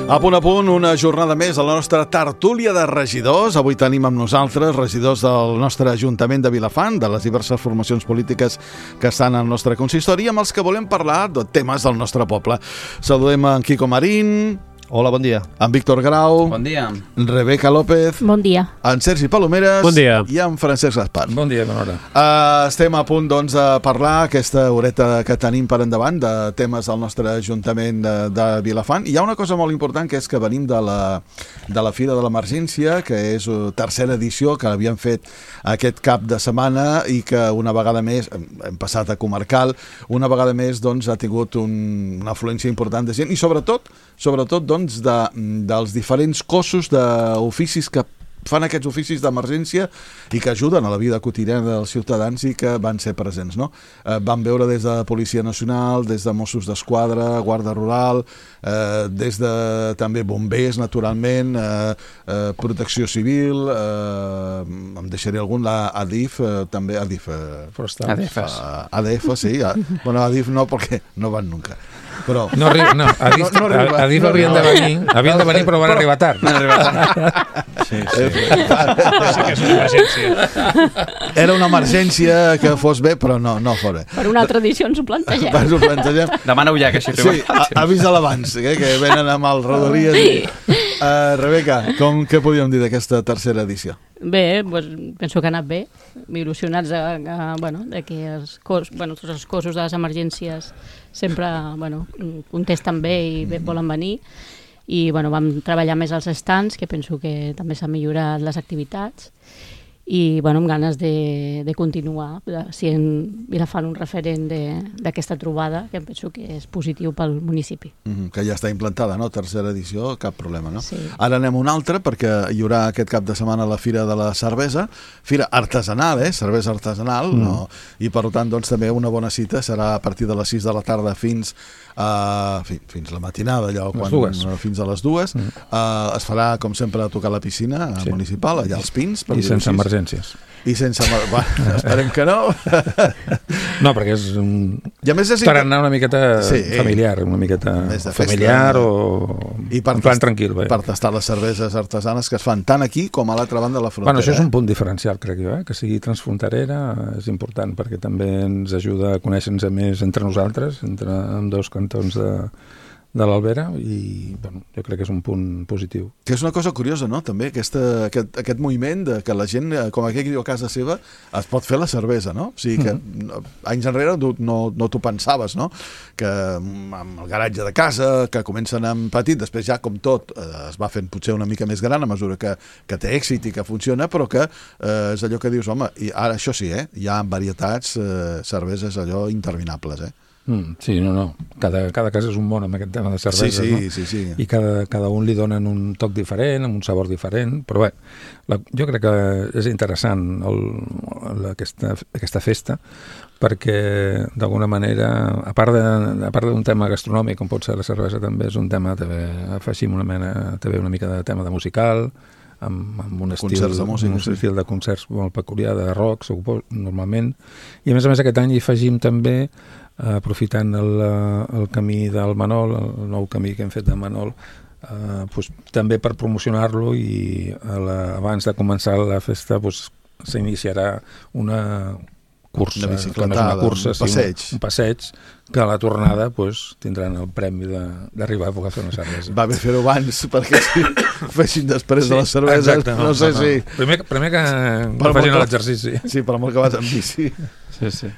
A punt, una jornada més a la nostra tertúlia de regidors. Avui tenim amb nosaltres regidors del nostre Ajuntament de Vilafant, de les diverses formacions polítiques que estan al nostre consistori, amb els que volem parlar de temes del nostre poble. Saludem en Quico Marín. Hola, bon dia. En Víctor Grau. Bon dia. Rebeca López. Bon dia. En Sergi Palomeres. Bon dia. I en Francesc Gaspar. Bon dia, bona hora. Estem a punt, doncs, de parlar aquesta horeta que tenim per endavant de temes del nostre Ajuntament de Vilafant. Hi ha una cosa molt important, que és que venim de la Fira de l'Emergència, que és tercera edició, que l'havíem fet aquest cap de setmana i que una vegada més, hem passat a comarcal, una vegada més doncs, ha tingut una afluència important de gent i sobretot doncs, dels diferents cossos d'oficis que fan aquests oficis d'emergència i que ajuden a la vida quotidiana dels ciutadans i que van ser presents, no? Vam veure des de Policia Nacional, des de Mossos d'Esquadra, Guàrdia Rural, des de també bombers, naturalment, Protecció Civil, em deixaré algun, la ADIF, també ADIF. ADF, sí. Bueno, ADIF no, perquè no van nunca. Però... No, ADIF havien de venir, però van arribar tard. Sí que és una emergència. Era una emergència que fos bé, però no fos bé. Per una altra edició ens ho plantegem. Demaneu ja que així sí, avisa l'abans, que venen amb el Rodalies. Rebeca, què podíem dir d'aquesta tercera edició? Bé, doncs, penso que ha anat bé, il·lusionats que tots els cossos de les emergències sempre contesten bé i bé volen venir i vam treballar més als stands, que penso que també s'han millorat les activitats i amb ganes de continuar sent Vilafant un referent d'aquesta trobada, que penso que és positiu pel municipi. Que ja està implantada, no? Tercera edició, cap problema, no? Sí. Ara anem a una altra, perquè hi haurà aquest cap de setmana la Fira de la Cervesa, fira artesanal, cervesa artesanal, no? I per tant, doncs, també una bona cita serà a partir de les 6 de la tarda fins la matinada, fins a les 2. Es farà, com sempre, a tocar la piscina municipal, allà als Pins. I sense emergències. Esperem que no. No, perquè és per anar una miqueta familiar, una miqueta familiar o en plan tranquil. Per tastar les cerveses artesanes que es fan tant aquí com a l'altra banda de la frontera. Això és un punt diferencial, crec jo, que sigui transfronterera és important, perquè també ens ajuda a conèixer-nos més entre nosaltres, entre ambdós cantons de l'Albera, i jo crec que és un punt positiu. Que és una cosa curiosa, no?, també, aquest moviment de que la gent, com aquell que diu a casa seva, es pot fer la cervesa, no? O sigui que anys enrere no t'ho pensaves, no?, que amb el garatge de casa, que comencen amb petit, després ja, com tot, es va fent potser una mica més gran a mesura que té èxit i que funciona, però que és allò que dius, home, i ara això sí, hi ha varietats, cerveses allò interminables, Sí, no. Cada casa és un món amb aquest tema de cervesa, sí. I cada un li donen un toc diferent, amb un sabor diferent, però bé, jo crec que és interessant aquesta festa, perquè d'alguna manera, a part d'un tema gastronòmic, com pot ser la cervesa, també és un tema, afegim una mica de tema de musical, amb un estil de concerts molt peculiar, de rock, normalment, i a més aquest any hi afegim també, aprofitant el camí del Manol, el nou camí que hem fet de Manol, també per promocionar-lo, i abans de començar la festa s'iniciarà una cursa, un passeig, que a la tornada tindran el premi d'arribar a poder fer una cervesa. Va bé fer-ho abans, perquè si fessin després de les cerveses, no sé si... Primer que facin l'exercici. Sí, per molt que vas amb bici. Sí.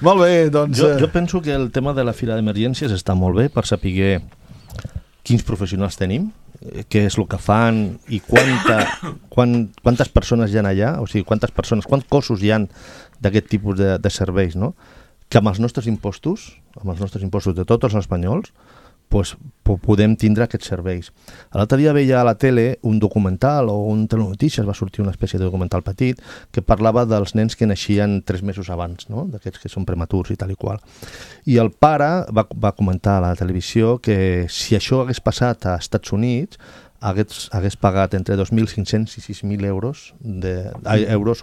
Molt bé, doncs... Jo penso que el tema de la Fira d'Emergències està molt bé per saber quins professionals tenim, què és el que fan i quantes persones hi ha allà, o sigui, quants cossos hi ha d'aquest tipus de serveis, no? Que amb els nostres impostos de tots els espanyols, podem tindre aquests serveis. L'altre dia veia a la tele un documental o un telenotícies, va sortir una espècie de documental petit que parlava dels nens que naixien 3 mesos abans, no? D'aquests que són prematurs i tal i qual. I el pare va comentar a la televisió que si això hagués passat a Estats Units, hagués pagat entre 2.500 i 6.000 euros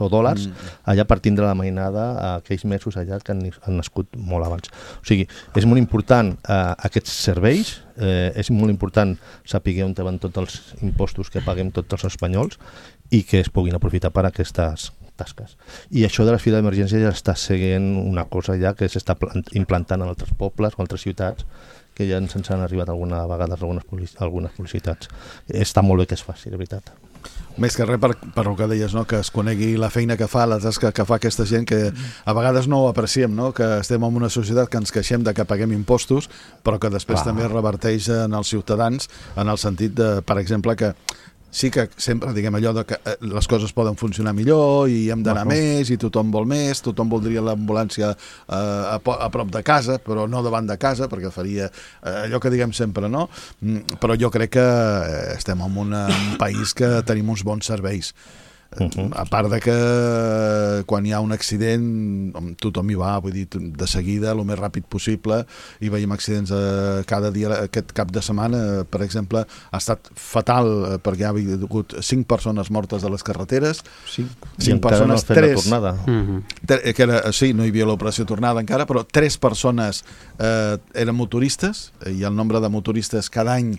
o dòlars allà per tindre la mainada aquells mesos allà que han nascut molt abans. O sigui, és molt important aquests serveis, és molt important saber on van tots els impostos que paguem tots els espanyols i que es puguin aprofitar per aquestes tasques. I això de la fila d'emergència ja està seguint una cosa ja que s'està implantant en altres pobles o altres ciutats que ja ens han arribat alguna vegada algunes publicitats. Està molt bé que es faci, de veritat. Més que res per el que deies, no? Que es conegui la feina que fa, la tasca que fa aquesta gent, que a vegades no ho apreciem, no? Que estem en una societat que ens queixem de que paguem impostos, però que després també reverteix en els ciutadans, en el sentit de, per exemple, que sí que sempre diguem allò de que les coses poden funcionar millor i hem d'anar més i tothom vol més, tothom voldria l'ambulància a prop de casa, però no davant de casa, perquè faria allò que diguem sempre, no? Però jo crec que estem en un país que tenim uns bons serveis. A part de que quan hi ha un accident tothom hi va, vull dir, de seguida el més ràpid possible, i veiem accidents cada dia. Aquest cap de setmana, per exemple, ha estat fatal perquè hi ha hagut 5 persones mortes a les carreteres, 5 persones, 3 sí, no hi havia l'operació tornada encara, però 3 persones eren motoristes, i el nombre de motoristes cada any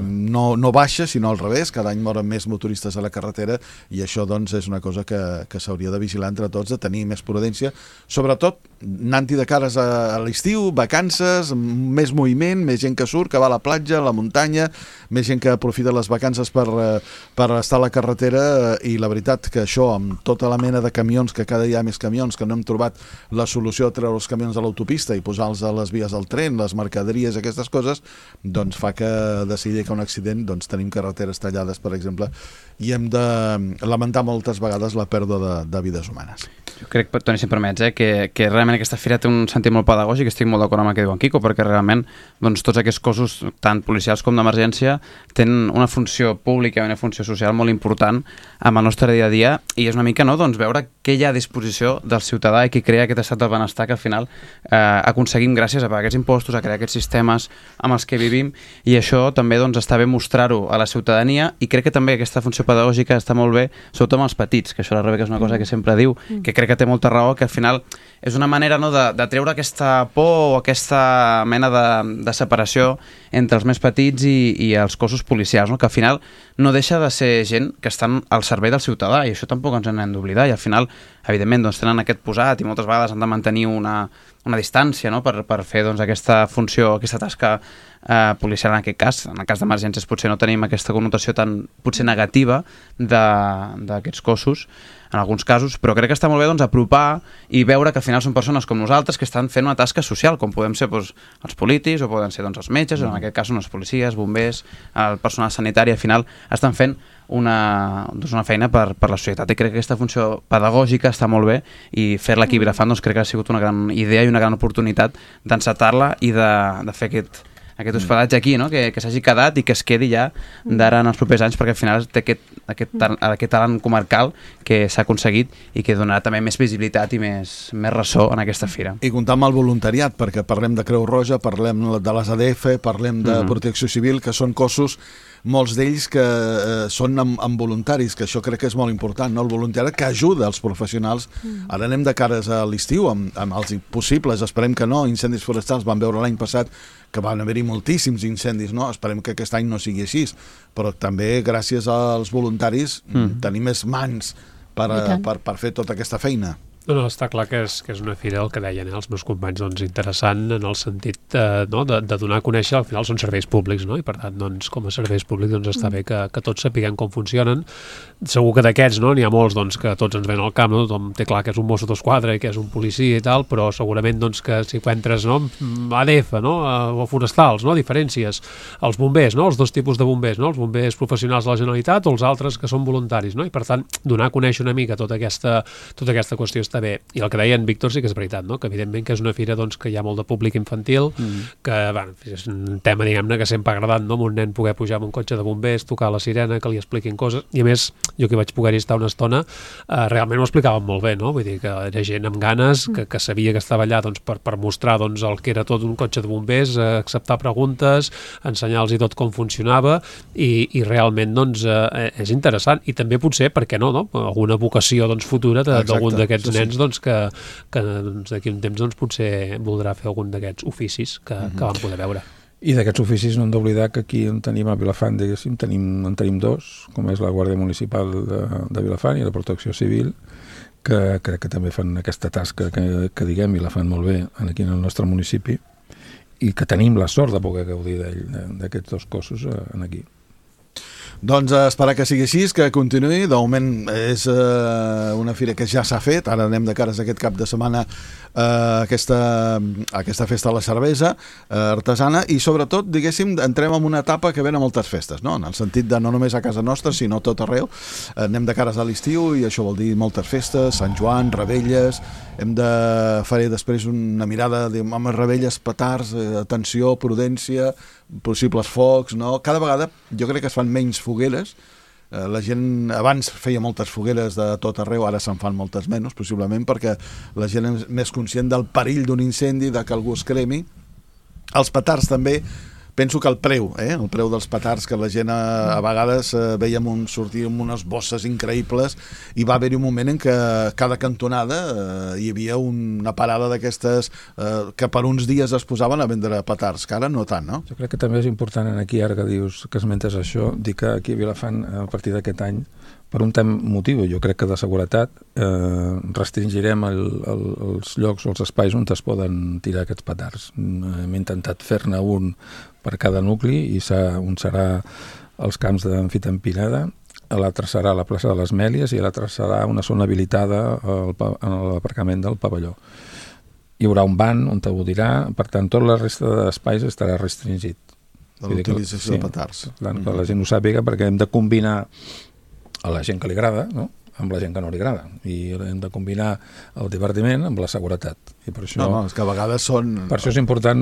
no baixa, sinó al revés, cada any moren més motoristes a la carretera, i això doncs és una cosa que s'hauria de vigilar entre tots, de tenir més prudència, sobretot anant-hi de cares a l'estiu, vacances, més moviment, més gent que surt, que va a la platja, a la muntanya, més gent que aprofita les vacances per estar a la carretera, i la veritat que això, amb tota la mena de camions, que cada dia hi ha més camions, que no hem trobat la solució a treure els camions a l'autopista i posar-los a les vies del tren, les mercaderies, aquestes coses, doncs fa que decidir que un accident, doncs tenim carreteres tallades, per exemple, i hem de lamentar moltes vegades la pèrdua de vides humanes. Jo crec, Toni, si em permets, que realment aquesta fira té un sentit molt pedagògic, estic molt d'acord amb el que diu en Quico, perquè realment doncs, tots aquests cossos, tant policials com d'emergència, tenen una funció pública i una funció social molt important amb el nostre dia a dia, i és una mica doncs, veure què hi ha a disposició del ciutadà i qui crea aquest estat del benestar que al final aconseguim gràcies a pagar aquests impostos, a crear aquests sistemes amb els que vivim, i això també doncs, està bé mostrar-ho a la ciutadania, i crec que també aquesta funció pedagògica està molt bé, sobretot amb els petits, que això la Rebeca és una cosa que sempre diu, que crec que té molta raó, que al final és una manera de treure aquesta por o aquesta mena de separació entre els més petits i els cossos policials, que al final no deixa de ser gent que estan al servei del ciutadà, i això tampoc ens n'hem d'oblidar, i al final, evidentment, doncs, tenen aquest posat i moltes vegades han de mantenir una distància per fer doncs, aquesta funció, aquesta tasca policial en aquest cas. En el cas d'emergències potser no tenim aquesta connotació tan potser negativa d'aquests cossos en alguns casos, però crec que està molt bé doncs, apropar i veure que al final són persones com nosaltres que estan fent una tasca social, com podem ser doncs, els polítics, o poden ser doncs, els metges, o en aquest cas són els policies, bombers, el personal sanitari, al final estan fent una feina per la societat, i crec que aquesta funció pedagògica està molt bé, i fer-la aquí a Vilafant doncs, crec que ha sigut una gran idea i una gran oportunitat d'encetar-la i de fer aquest hospedatge aquí, no? que s'hagi quedat i que es quedi ja d'ara en els propers anys, perquè al final té aquest talent comarcal que s'ha aconseguit i que donarà també més visibilitat i més ressò en aquesta fira. I comptar amb el voluntariat, perquè parlem de Creu Roja, parlem de les ADF, parlem de Protecció Civil, que són cossos, molts d'ells que són amb voluntaris, que això crec que és molt important, no? El voluntariat que ajuda els professionals. Ara anem de cares a l'estiu amb els possibles, esperem que no, incendis forestals. Vam veure l'any passat que van haver-hi moltíssims incendis, no? Esperem que aquest any no sigui així, però també gràcies als voluntaris tenim més mans per fer tota aquesta feina. No, està clar que és una fira, el que deien els meus companys, doncs, interessant en el sentit de donar a conèixer, al final són serveis públics, no? I per tant, doncs, com a serveis públics doncs, està bé que tots sapiguem com funcionen. Segur que d'aquests n'hi ha molts doncs, que tots ens ven al camp, no? Tothom té clar que és un mosso d'esquadra i que és un policia i tal, però segurament doncs, que si entres ADF, no? O forestals, no? Diferències, els bombers, no? Els dos tipus de bombers, no? Els bombers professionals de la Generalitat o els altres que són voluntaris, no? I per tant, donar a conèixer una mica tota aquesta qüestió està està bé. I el que deia en Víctor sí que és veritat, no? Que evidentment que és una fira doncs, que hi ha molt de públic infantil, que bueno, és un tema, diguem-ne, que sempre ha agradat, no? Amb un nen poder pujar amb un cotxe de bombers, tocar la sirena, que li expliquin coses, i a més, jo que vaig poder-hi estar una estona, realment ho explicaven molt bé, no? Vull dir que era gent amb ganes, que sabia que estava allà doncs, per mostrar doncs, el que era tot un cotxe de bombers, acceptar preguntes, ensenyar-los tot com funcionava, i realment doncs, és interessant, i també potser, per què no? Alguna vocació doncs, futura d'algun d'aquests nens doncs, que doncs, d'aquí un temps doncs, potser voldrà fer algun d'aquests oficis que vam poder veure. I d'aquests oficis no hem d'oblidar que aquí on tenim a Vilafant, diguéssim, en tenim dos, com és la Guàrdia Municipal de Vilafant i la Protecció Civil, que crec que també fan aquesta tasca que diguem, i la fan molt bé aquí en el nostre municipi, i que tenim la sort de poder gaudir d'aquests dos cossos aquí. Doncs esperar que sigui així, que continuï. De moment és una fira que ja s'ha fet, ara anem de cares aquest cap de setmana a aquesta festa de la cervesa artesana, i sobretot, diguéssim, entrem en una etapa que ven a moltes festes, no? En el sentit de no només a casa nostra, sinó tot arreu. Anem de cares a l'estiu i això vol dir moltes festes, Sant Joan, Rebelles, faré després una mirada amb Rebelles, petards, atenció, prudència, possibles focs, no? Cada vegada jo crec que es fan menys fogueres. La gent abans feia moltes fogueres de tot arreu, ara se'n fan moltes menys, possiblement perquè la gent és més conscient del perill d'un incendi, de que algú es cremi. Els petards també, penso que el preu dels petards, que la gent a vegades veiem sortir amb unes bosses increïbles, i va haver-hi un moment en què cada cantonada hi havia una parada d'aquestes que per uns dies es posaven a vendre petards, que ara no tant, no? Jo crec que també és important aquí, ara que dius que esmentes això, dir que aquí a Vilafant, a partir d'aquest any, per un motiu, jo crec que de seguretat, restringirem els llocs o els espais on es poden tirar aquests petards. Hem intentat fer-ne un per cada nucli, i un serà els camps d'Amfitampinada, l'altre serà la plaça de les Mèlies, i l'altre serà una zona habilitada en l'aparcament del pavelló. Hi haurà un ban on t'ho dirà, per tant, tota la resta d'espais estarà restringit. De l'utilització de petards. Que la gent ho sàpiga, perquè hem de combinar a la gent que li agrada, no?, amb la gent que no li agrada, i hem de combinar el divertiment amb la seguretat, i per això és que a vegades per això és important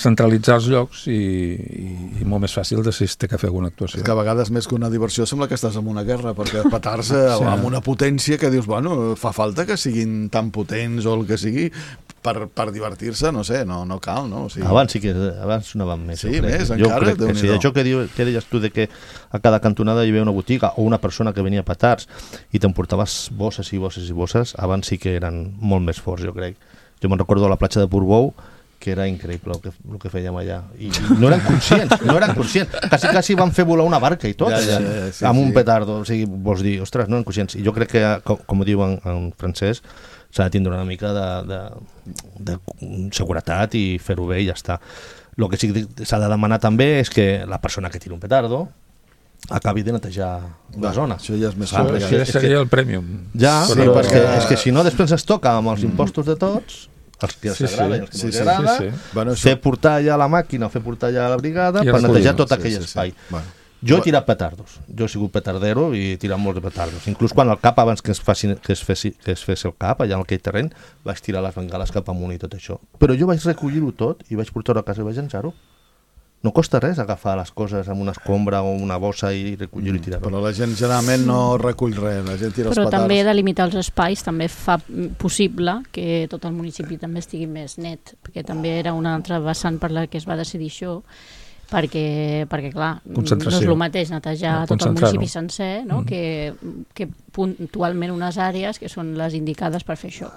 centralitzar els llocs, i molt més fàcil de si es té que fer alguna actuació. És que a vegades més que una diversió sembla que estàs en una guerra, perquè petards amb una potència que dius, bueno, fa falta que siguin tan potents o el que sigui per divertir-se, no sé, no cal, no? O sigui... Abans sonaven més. Sí, més, encara, Déu-n'hi-do. Sí, això que deies tu de que a cada cantonada hi havia una botiga o una persona que venia a petards i t'emportaves bosses i bosses i bosses, abans sí que eren molt més forts, jo crec. Jo me'n recordo a la platja de Portbou, que era increïble el que fèiem allà. I no eren conscients. Quasi van fer volar una barca i tot, amb un petardo. O sigui, vols dir, ostres, no eren conscients. I jo crec que, com diu en francès, s'ha de tindre una mica de seguretat i fer-ho bé i ja està. El que sí que s'ha de demanar també és que la persona que tira un petardo acabi de netejar la zona. Això ja és més complicat. Això seria el prèmium. Ja, però és que si no després es toca amb els impostos de tots, els que els agrada i els que no els agrada, Bueno, fer portar allà la màquina o fer portar allà la brigada per netejar tot aquell espai. Jo he tirat petardos, jo he sigut petardero i he tirat molts de petardos. Inclús quan el cap, abans que es fes el cap allà en aquell terreny, vaig tirar les bengales cap amunt i tot això. Però jo vaig recollir-ho tot i vaig portar-ho a casa i vaig llançar-ho. No costa res agafar les coses amb una escombra o una bossa i recollir-ho i tirar-ho. Però la gent generalment no recull res, la gent tira els petards. Però també delimitar els espais també fa possible que tot el municipi també estigui més net, perquè també era una altra vessant per la que es va decidir això, perquè clar, no és el mateix netejar tot el municipi sencer, no? que puntualment unes àrees que són les indicades per fer això.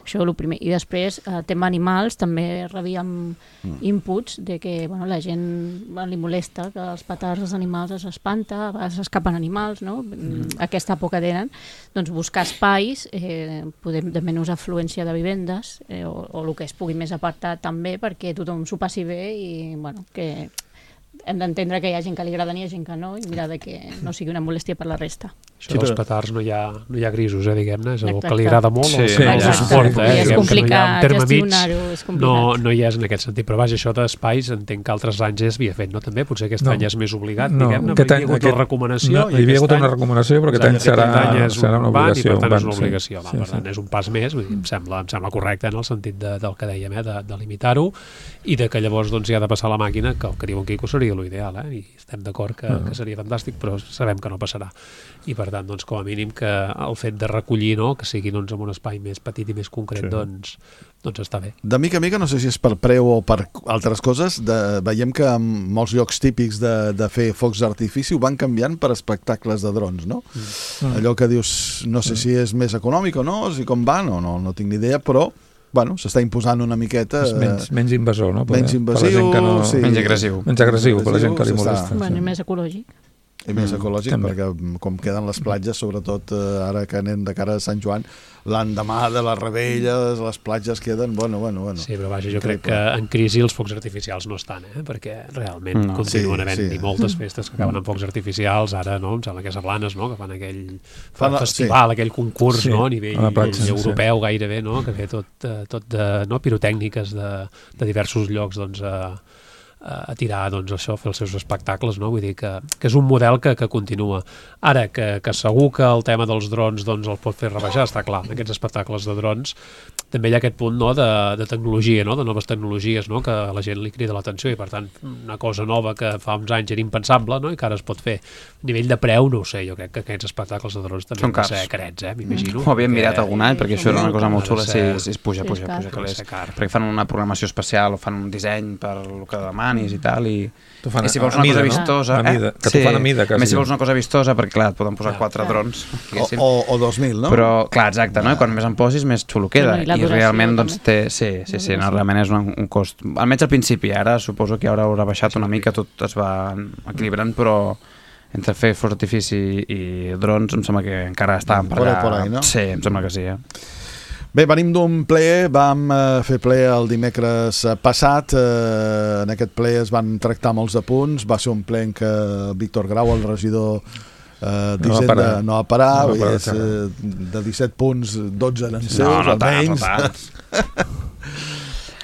Això és el primer. I després, tema animals, també rebíem inputs de que la gent li molesta que els petards dels animals s'espanta, a vegades s'escapen animals, no? Aquesta por que tenen. Doncs buscar espais, podem de menys afluència de vivendes, o el que es pugui més apartat també, perquè tothom s'ho passi bé i que hem d'entendre que hi ha gent que li agrada i hi ha gent que no, i mirar de que no sigui una molèstia per la resta. Això dels petards no hi ha grisos, diguem-ne, és el que Exacte. li agrada molt, Sí, el que suporta. I és Diguem que complicat terme mig, gestionar-ho, és complicat. no hi és en aquest sentit, però vaja, això d'espais entenc que altres anys ja s'havia fet, no? També potser aquest any és més obligat, diguem-ne, aquest hi havia hagut una recomanació. Hi havia hagut una recomanació, però aquest any serà una obligació. I per tant és una obligació, per tant és un pas més, vull dir, em sembla correcte en el sentit del que dèiem, de limitar-ho, i de que llavors hi ha de passar la màquina, que el que diu en Quico seria l'ideal, i estem d'acord que seria fantàstic, però sabem que no passarà. I per tant, com a mínim, que el fet de recollir, que sigui en un espai més petit i més concret, doncs està bé. De mica a mica, no sé si és per preu o per altres coses, veiem que en molts llocs típics de fer focs d'artifici ho van canviant per espectacles de drons, no? Allò que dius, no sé si és més econòmic o no, si com va, no tinc ni idea, però s'està imposant una miqueta... És menys invasor, no? Menys invasiu, menys agressiu. Menys agressiu, per la gent que li molesta. I més ecològic. I més ecològic, perquè com queden les platges, sobretot ara que anem de cara a Sant Joan, l'endemà de les rebelles, les platges queden, bueno. Sí, però vaja, jo crec que en crisi els focs artificials no estan, perquè realment continuen havent-hi moltes festes que acaben amb focs artificials, ara, em sembla que és a Blanes, que fan aquell festival, aquell concurs, a nivell europeu gairebé, que ve tot de pirotècniques de diversos llocs, a tirar, això, fer els seus espectacles, vull dir que és un model que continua. Ara, que segur que el tema dels drons el pot fer rebaixar, està clar, aquests espectacles de drons, també hi ha aquest punt de tecnologia, de noves tecnologies, que a la gent li crida l'atenció, i per tant, una cosa nova que fa uns anys era impensable, i que ara es pot fer. A nivell de preu, no ho sé, jo crec que aquests espectacles de drons també han de ser carets, m'imagino. Ho havíem mirat algun any, perquè això era una cosa molt xula, si es puja, perquè fan una programació especial o fan un disseny per el que demanis i tal, i si vols una cosa vistosa... Que t'ho fan a mida, quasi. Més si vols una cosa vistosa, perquè clar, et poden posar 4 drons. O 2.000, no? Però, clar, exacte, i quan més en posis, més xulo queda. I realment, té... Sí, realment és un cost... Almenys al principi, ara suposo que ara haurà baixat una mica, tot es va equilibrant, però entre fer focs d'artifici i drons em sembla que encara estàvem per allà. No? Sí, em sembla que sí, Bé, venim d'un ple, vam fer ple el dimecres passat, en aquest ple es van tractar molts de punts, va ser un ple en què Víctor Grau, el regidor d'Hisenda, no va parar, de 17 punts, 12 eren seus, almenys.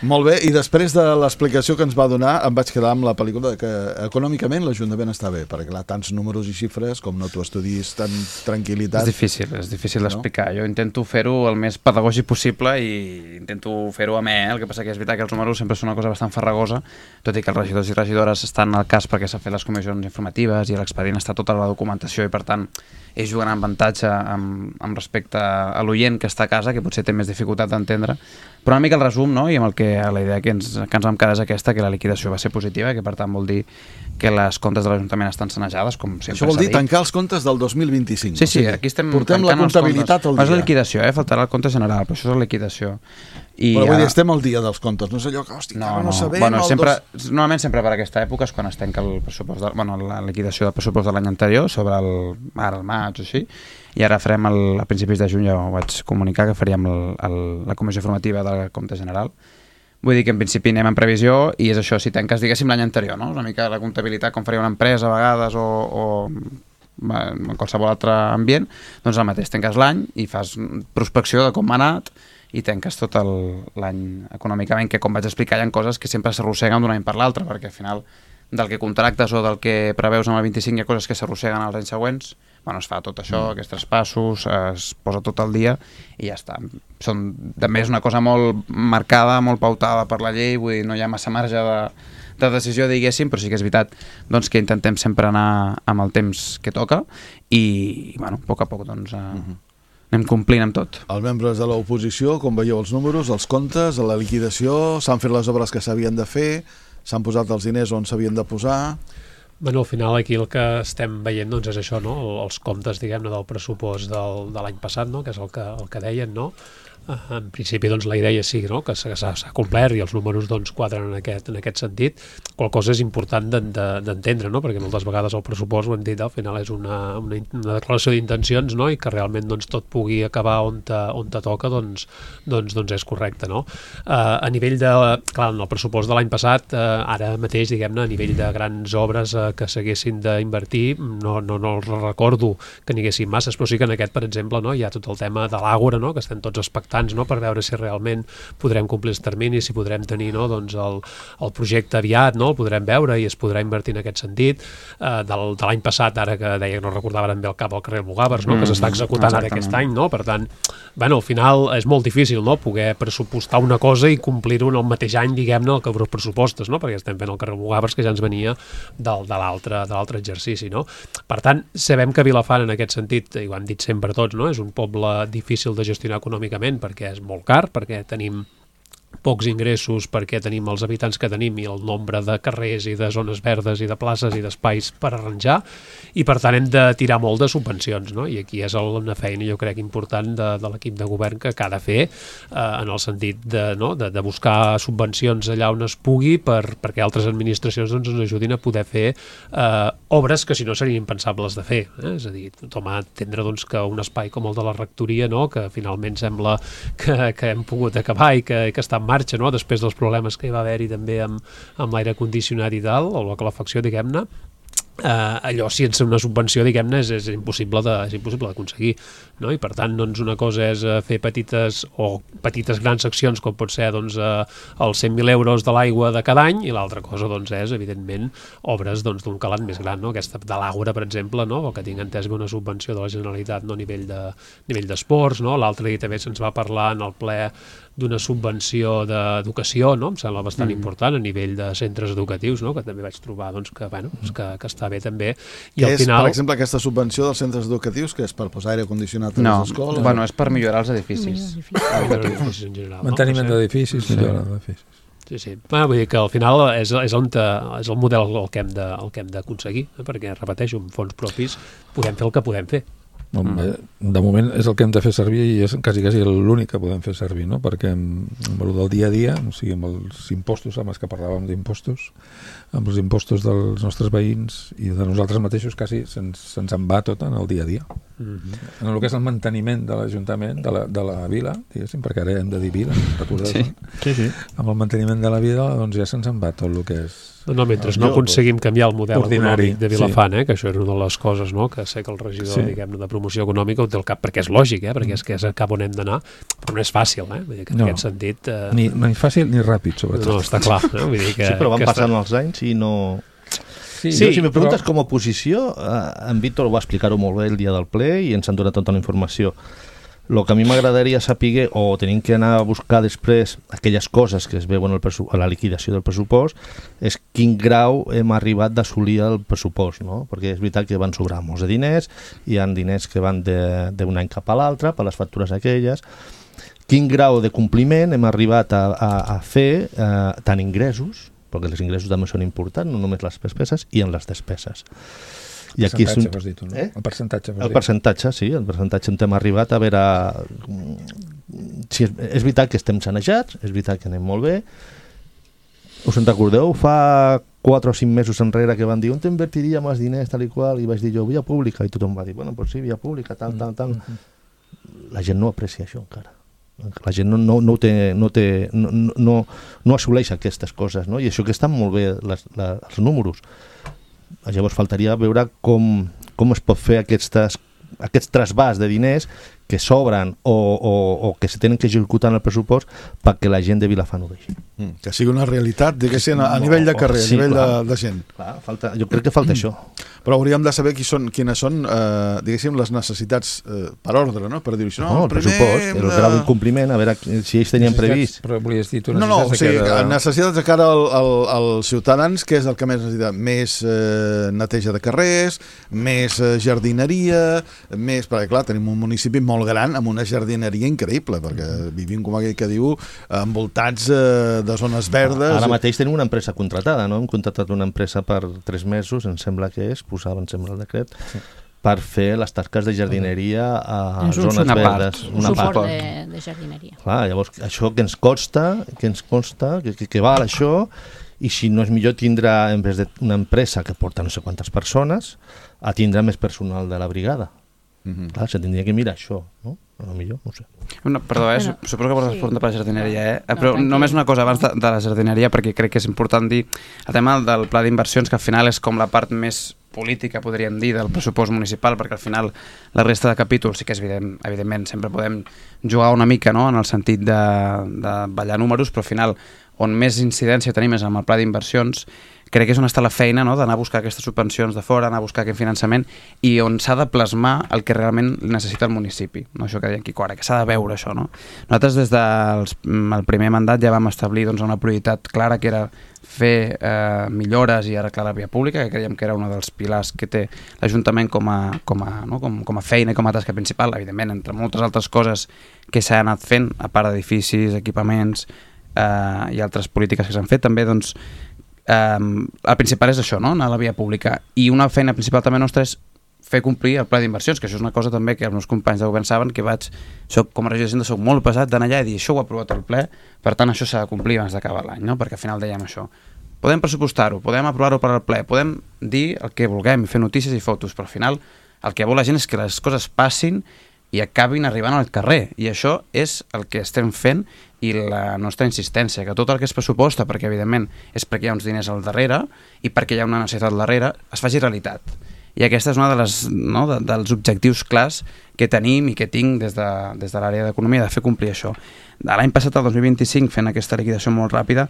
Molt bé, i després de l'explicació que ens va donar em vaig quedar amb la pel·lícula que econòmicament l'Ajuntament està bé, perquè clar, tants números i xifres, com no t'ho estudis tan tranquil·litat... És difícil d'explicar. Jo intento fer-ho el més pedagògic possible i intento fer-ho amè, el que passa que és veritat que els números sempre són una cosa bastant farragosa, tot i que els regidors i regidores estan al cas perquè s'ha fet les comissions informatives i l'expedient està tota la documentació i per tant ells juguen amb avantatge amb respecte a l'oient que està a casa, que potser té més dificultat d'entendre, però una mica el resum, i amb el que la idea que ens vam quedar és aquesta, que la liquidació va ser positiva, que per tant vol dir que les comptes de l'Ajuntament estan sanejades, com sempre s'ha dit. Això vol dir tancar els comptes del 2025. Sí, aquí estem portem la comptabilitat al dia. És la liquidació, faltarà el compte general, però això és la liquidació. Però vull dir, estem al dia dels comptes, no és allò que, no sabem... Normalment sempre per aquesta època és quan es tanca el pressupost, la liquidació del pressupost de l'any anterior, sobre el maig o així, i ara farem a principis de juny, ja ho vaig comunicar, que faríem la comissió formativa del compte general. Vull dir que en principi anem en previsió i és això, si tanques, diguéssim, l'any anterior, no? Una mica la comptabilitat com faria una empresa a vegades o en qualsevol altre ambient, doncs el mateix, tanques l'any i fas prospecció de com ha anat i tanques tot l'any econòmicament, que com vaig explicar hi ha coses que sempre s'arrosseguen d'un any per l'altre, perquè al final del que contractes o del que preveus amb el 25 hi ha coses que s'arrosseguen als anys següents, es fa tot això, aquests traspassos, es posa tot al dia i ja està. També és una cosa molt marcada, molt pautada per la llei, vull dir, no hi ha massa marge de decisió, diguéssim, però sí que és veritat que intentem sempre anar amb el temps que toca i, a poc a poc, anem complint amb tot. Els membres de l'oposició, com veieu els números, els comptes, la liquidació, s'han fet les obres que s'havien de fer, s'han posat els diners on s'havien de posar... Al final aquí el que estem veient és això, els comptes, diguem-ne, del pressupost de l'any passat, que és el que deien, En principi, doncs, la idea sí, no?, que s'ha complert i els números doncs, quadren en aquest sentit. Qual cosa és important d'entendre, no?, perquè moltes vegades el pressupost, ho hem dit, al final és una declaració d'intencions, no?, i que realment doncs, tot pugui acabar on te toca, doncs és correcte, no? A nivell de... Clar, en el pressupost de l'any passat, ara mateix, diguem-ne, a nivell de grans obres que s'haguessin d'invertir, no recordo que n'hi haguessin masses, però sí que en aquest, per exemple, no, hi ha tot el tema de l'Àgora, no?, que estem tots expectants, no?, per veure si realment podrem complir els terminis, si podrem tenir, no?, doncs el projecte aviat, no?, el podrem veure i es podrà invertir en aquest sentit. De l'any passat, ara que deia que no recordava ben bé el cap al carrer Mugàvers, no?, que s'està executant ara aquest any, no?, per tant, bueno, al final és molt difícil, no?, poder pressupostar una cosa i complir-ho en el mateix any, diguem-ne, el que els pressupostos, no?, perquè estem fent el carrer Mugàvers que ja ens venia de l'altre exercici, no? Per tant, sabem que Vilafant en aquest sentit, i ho hem dit sempre tots, no?, és un poble difícil de gestionar econòmicament perquè és molt car, perquè tenim pocs ingressos, perquè tenim els habitants que tenim i el nombre de carrers i de zones verdes i de places i d'espais per arranjar, i per tant hem de tirar molt de subvencions, no? I aquí és una feina, jo crec, important de l'equip de govern que ha de fer, en el sentit de buscar subvencions allà on es pugui perquè altres administracions doncs, ens ajudin a poder fer obres que si no serien impensables de fer, és a dir, tothom ha d'entendre doncs, que un espai com el de la rectoria, no?, que finalment sembla que hem pogut acabar i que està en marxa, no?, després dels problemes que hi va haver-hi també amb l'aire condicionat i tal, o la calefacció, diguem-ne, allò sense una subvenció, diguem-ne, és impossible d'aconseguir, no? I per tant, doncs, una cosa és fer petites grans accions, com pot ser doncs, els 100.000 euros de l'aigua de cada any, i l'altra cosa doncs, és, evidentment, obres doncs, d'un calat més gran, no? Aquesta de l'Àgora, per exemple, no?, el que tinc entès que una subvenció de la Generalitat, no?, a nivell d'esports, no? L'altre dia també se'ns va parlar en el ple d'una subvenció d'educació, no?, em sembla bastant important, a nivell de centres educatius, no?, que també vaig trobar doncs, que està bé també. I al final... Per exemple, aquesta subvenció dels centres educatius, que és per posar aire condicionat a les escoles? No, bueno, és per millorar els edificis. En general, manteniment d'edificis, millora d'edificis. Sí. Bueno, vull dir que al final és el model el que hem d'aconseguir, perquè, repeteixo, amb fons propis podem fer el que podem fer. De moment és el que hem de fer servir i és quasi l'únic que podem fer servir, no? Perquè amb el del dia a dia, o sigui, amb els impostos, amb els que parlàvem d'impostos, amb els impostos dels nostres veïns i de nosaltres mateixos, quasi se'ns en va tot en el dia a dia. En el que és el manteniment de l'Ajuntament, de la vila, diguéssim, perquè ara hem de dir vila, recordeu? Sí. Amb el manteniment de la vila, doncs ja se'ns en va tot el que és... No, mentre no aconseguim canviar el model econòmic de Vilafant, que això era una de les coses, no?, que sé que el regidor, diguem-ne, de promoció econòmica ho té al cap, perquè és lògic, perquè és que és cap on hem d'anar, però no és fàcil, vull dir que en aquest sentit... Ni fàcil ni ràpid, sobretot. No, està clar, vull dir que... Sí, però van passant els anys i no... Sí, si me preguntes com a oposició, en Víctor ho va explicar-ho molt bé el dia del ple i ens han donat tota la informació. El que a mi m'agradaria saber, o tenim que anar a buscar després aquelles coses que es veuen a la liquidació del pressupost, és quin grau hem arribat d'assolir el pressupost, no? Perquè és veritat que van sobrar molts de diners, hi ha diners que van d'un any cap a l'altre, per les factures aquelles. Quin grau de compliment hem arribat a fer tant ingressos, perquè els ingressos també són importants, no només les despeses, i en les despeses. El percentatge, vols dir tu, no? El percentatge, el percentatge, sí, el percentatge on hem arribat a veure... Sí, és veritat que estem sanejats, és veritat que anem molt bé. Us en recordeu? Fa 4 o 5 mesos enrere que van dir on t'invertiríem els diners, tal i qual, i vaig dir jo, via pública, i tothom va dir, bueno, pues sí, via pública, tal. La gent no aprecia això encara. La gent no assoleix aquestes coses, no? I això que estan molt bé els números. Llavors faltaria veure com es pot fer aquests trasbàs de diners que sobren o que se tenen que executar en el pressupost perquè la gent de Vilafant ho vegi. Que sigui una realitat, diguéssim, a nivell de carrer, a nivell de gent. Clar, jo crec que falta això. Però hauríem de saber quines són, diguéssim, les necessitats per ordre, no? Per dir això. No, el pressupost, el grau d'incompliment, a veure si ells tenien previst. Però volies dir tu necessitats de cara als ciutadans, que és el que més necessita? Més neteja de carrers, més jardineria, més... Perquè, clar, tenim un municipi molt gran amb una jardineria increïble, perquè vivim, com aquell que diu, envoltats de zones verdes. Ara mateix tenim una empresa contratada, no? Hem contractat una empresa per 3 mesos, em sembla que és, posava, em sembla, el decret, per fer les tasques de jardineria a És un zones una part, verdes. Un suport de jardineria. Clar, llavors, això que ens costa, que val això, i si no és millor tindre, en vez d'una empresa que porta no sé quantes persones, a tindre més personal de la brigada. Clar, se tindria que mirar això, no? A lo millor, no ho sé. No, perdó, suposo que vols respondre per la jardineria, però tranquil. només una cosa abans de la jardineria, perquè crec que és important dir el tema del pla d'inversions, que al final és com la part més política, podríem dir, del pressupost municipal, perquè al final la resta de capítols sí que és evidentment sempre podem jugar una mica, no?, en el sentit de ballar números, però al final on més incidència tenim és amb el pla d'inversions. Crec que és on està la feina, no?, d'anar a buscar aquestes subvencions de fora, anar a buscar aquest finançament, i on s'ha de plasmar el que realment necessita el municipi. No, això que deia Quico ara, que s'ha de veure això, no? Nosaltres des del primer mandat ja vam establir doncs, una prioritat clara, que era fer millores i arreglar la via pública, que creiem que era un dels pilars que té l'Ajuntament com a feina i com a tasca principal, evidentment, entre moltes altres coses que s'ha anat fent, a part d'edificis, equipaments i altres polítiques que s'han fet, també doncs el principal és això, no?, anar a la via pública, i una feina principal també nostra és fer complir el pla d'inversions, que això és una cosa també que els meus companys de govern saben, que com a regidor de soc molt pesat d'anar allà i dir això ho ha aprovat el ple, per tant això s'ha de complir abans d'acabar l'any, no?, perquè al final dèiem això, podem pressupostar-ho, podem aprovar-ho per al ple, podem dir el que vulguem, fer notícies i fotos, però al final el que vol la gent és que les coses passin i acabin arribant al carrer, i això és el que estem fent, i la nostra insistència, que tot el que es pressuposta, perquè evidentment és perquè hi ha uns diners al darrere i perquè hi ha una necessitat al darrere, es faci realitat. I aquesta és una dels objectius clars que tenim i que tinc des de l'àrea d'economia, de fer complir això. L'any passat, el 2025, fent aquesta liquidació molt ràpida,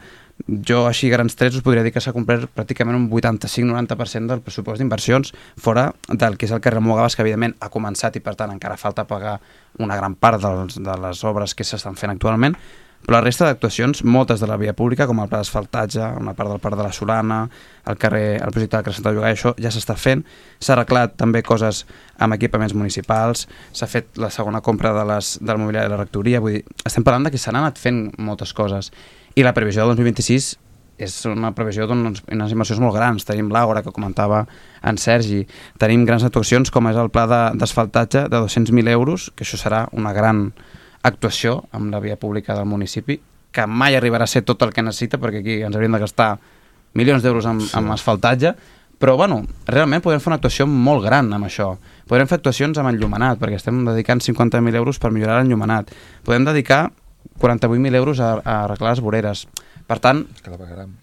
jo així grans trets us podria dir que s'ha complert pràcticament un 85-90% del pressupost d'inversions, fora del que és el carrer Mogabas, que evidentment ha començat i per tant encara falta pagar una gran part de les obres que s'estan fent actualment, però la resta d'actuacions, moltes de la via pública, com el pla d'asfaltatge, una part del Parc de la Solana, el projecte del carrer Santa Llogaia, això ja s'està fent. S'ha arreglat també coses amb equipaments municipals, s'ha fet la segona compra del mobiliari de la rectoria, vull dir, estem parlant que s'han anat fent moltes coses. I la previsió del 2026 és una previsió d'unes inversions molt grans. Tenim l'Àgora, que comentava en Sergi, tenim grans actuacions com és el pla d'asfaltatge de 200.000 euros, que això serà una gran actuació amb la via pública del municipi, que mai arribarà a ser tot el que necessita, perquè aquí ens hauríem de gastar milions d'euros amb asfaltatge, però bueno, realment podem fer una actuació molt gran amb això. Podrem fer actuacions amb enllumenat, perquè estem dedicant 50.000 euros per millorar l'enllumenat. Podem dedicar 48.000 euros a arreglar les voreres. Per tant,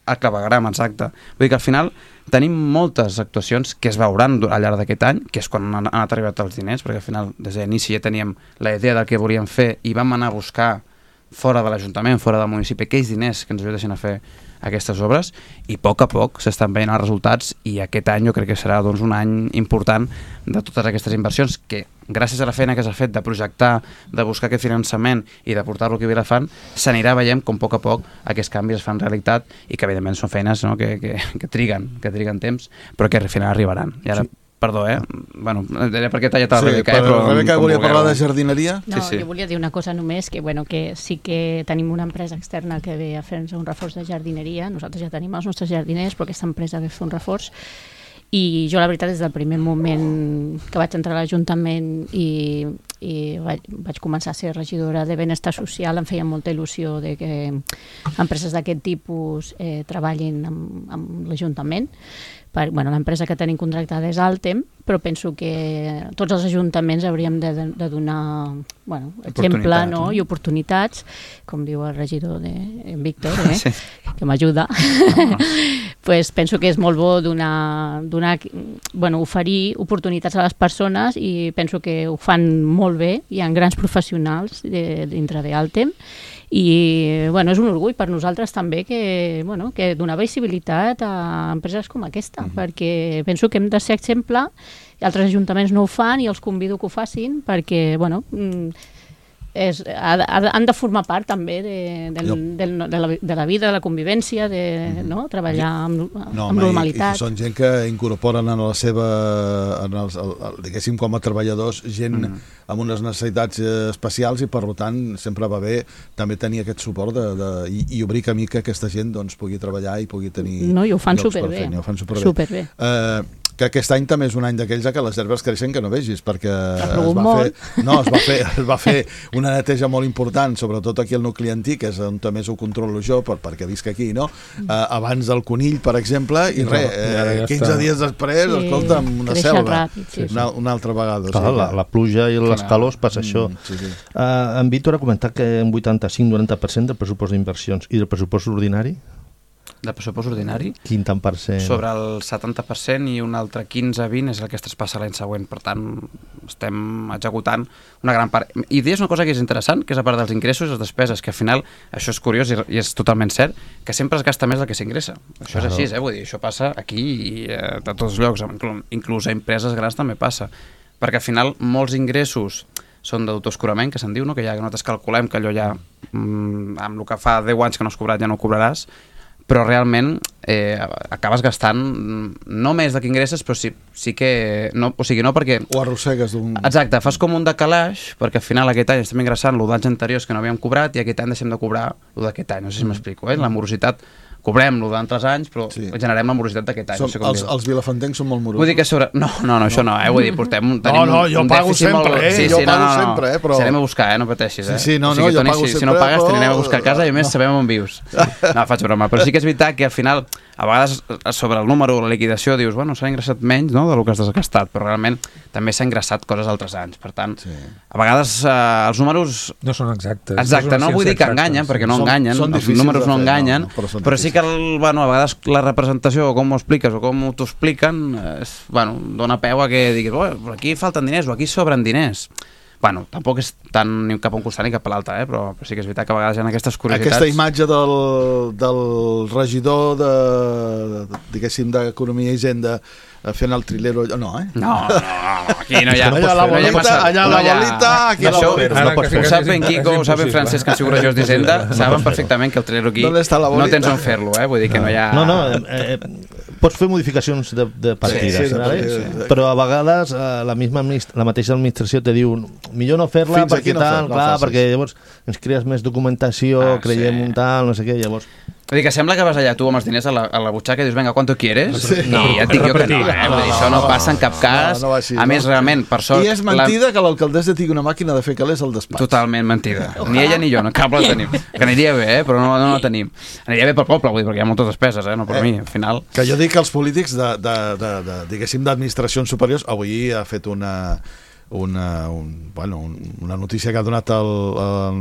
a clavegueram, exacte. Vull dir que al final tenim moltes actuacions que es veuran al llarg d'aquest any, que és quan han anat arribat els diners, perquè al final des d'inici ja teníem la idea del que volíem fer i vam anar a buscar fora de l'Ajuntament, fora del municipi, aquells diners que ens ajudessin a fer aquestes obres, i a poc s'estan veient els resultats, i aquest any jo crec que serà doncs, un any important de totes aquestes inversions que, gràcies a la feina que s'ha fet de projectar, de buscar aquest finançament i de portar-lo aquí a Vilafant, s'anirà veient com a poc aquests canvis es fan realitat, i que evidentment són feines, no, que triguen temps, però que al final arribaran. I ara, perdó, bueno, era perquè t'ha tallat la Rebeca, però Rebeca volia parlar de jardineria? No, sí. Jo volia dir una cosa només, que sí que tenim una empresa externa que ve a fer-nos un reforç de jardineria. Nosaltres ja tenim els nostres jardiners, però aquesta empresa ve a fer un reforç. I jo, la veritat, des del primer moment que vaig entrar a l'Ajuntament i vaig començar a ser regidora de benestar social, em feia molta il·lusió de que empreses d'aquest tipus treballin amb l'Ajuntament. L'empresa que tenim contractada és Altem, però penso que tots els ajuntaments hauríem de donar exemple i oportunitats, com diu el regidor en Víctor, sí, que m'ajuda. Pues penso que és molt bo oferir oportunitats a les persones, i penso que ho fan molt bé. Hi ha grans professionals dintre d'Altem, i és un orgull per nosaltres també que donar visibilitat a empreses com aquesta, perquè penso que hem de ser exemple, i altres ajuntaments no ho fan, i els convido que ho facin, perquè han de formar part també de la vida, de la convivència, de treballar amb normalitat. I són gent que incorporen en la seva, diguéssim, com a treballadors, gent amb unes necessitats especials, i per tant sempre va bé també tenir aquest suport i obrir camí que aquesta gent pugui treballar i pugui tenir... No, i ho fan superbé. Superbé. que aquest any també és un any d'aquells que les herbes creixen que no vegis, perquè es va fer una neteja molt important, sobretot aquí al nucli antic, que és on també ho controlo jo, perquè visc aquí, no? Abans del conill, per exemple, i 15 dies després, escolta'm, una selva. Una altra vegada. Clar, la pluja i les calors passa això. En Víctor ha comentat que un 85-90% del pressupost d'inversions i del pressupost ordinari? Del pressupost ordinari? Quin tant per cent? Sobre el 70% i un altre 15-20 és el que es traspassa l'any següent. Per tant, estem executant una gran part. I és una cosa que és interessant, que és a part dels ingressos i les despeses, que al final, això és curiós i és totalment cert, que sempre es gasta més del que s'ingressa. Això és així, vull dir, això passa aquí i a tots els llocs, inclús a empreses grans també passa. Perquè al final molts ingressos són d'autoescurament, que se'n diu, no? Que ja nosaltres calculem que allò ja, amb el que fa 10 anys que no has cobrat ja no ho cobraràs, però realment acabes gastant no més del que ingresses, però sí que... No, o sigui, no perquè... O arrossegues d'un... Exacte, fas com un decalaix, perquè al final aquest any estem ingressant l'any d'anys anteriors que no havíem cobrat i aquest any deixem de cobrar d'aquest any, no sé si m'explico, La morositat... Cobrem-lo d'altres anys, però generem la morositat d'aquest any. Els vilafantencs són molt morosos. Vull dir que sobre... No, això no, vull dir, portem... Jo pago sempre, jo pago sempre, però... Si anem a buscar, no pateixis, Sí, no, jo pago sempre, si no pagues, t'anem a buscar a casa i a més sabem on vius. No, faig broma, però sí que és veritat que al final, a vegades, sobre el número, la liquidació, dius, bueno, s'ha ingressat menys del que has desgastat, però realment també s'ha ingressat coses altres anys. Per tant, a vegades els números... No són exactes. Exacte, no vull dir que enganyen, perquè no enganyen, els números no enganyen, però sí que a vegades la representació o com ho expliques o com t'ho expliquen dona peu a que diguis aquí falten diners o aquí sobren diners. Tampoc és tant ni cap a un costat ni cap a l'altre, però sí que és veritat que a vegades hi ha aquestes curiositats. Aquesta imatge del regidor diguéssim d'Economia i Hisenda fent el trilero, no, No, aquí no hi ha... Allà la bolita, aquí la bolita. Ho sap ben Quico, ho sap ben Francesc, que han sigut regidors d'Hisenda, saben perfectament que el trilero aquí no tens on fer-lo, vull dir que no hi ha... No, pots fer modificacions de partides, però a vegades la mateixa administració te diu millor no fer-la perquè tal, clar, perquè llavors ens crees més documentació, creiem un tal, no sé què, llavors... Vull dir que sembla que vas allà tu amb els diners a la butxaca i dius, venga, ¿cuánto quieres? I ja et dic jo que no, vull dir, això no passa en cap cas. A més, realment, per sort... I és mentida que l'alcaldessa tingui una màquina de fer calés al despatx. Totalment mentida. Ni ella ni jo, no cap la tenim. Que aniria bé, però no la tenim. Aniria bé pel poble, vull dir, perquè hi ha moltes despeses, no per mi, al final. Que jo dic que els polítics diguéssim, d'administracions superiors, avui ha fet una notícia que ha donat el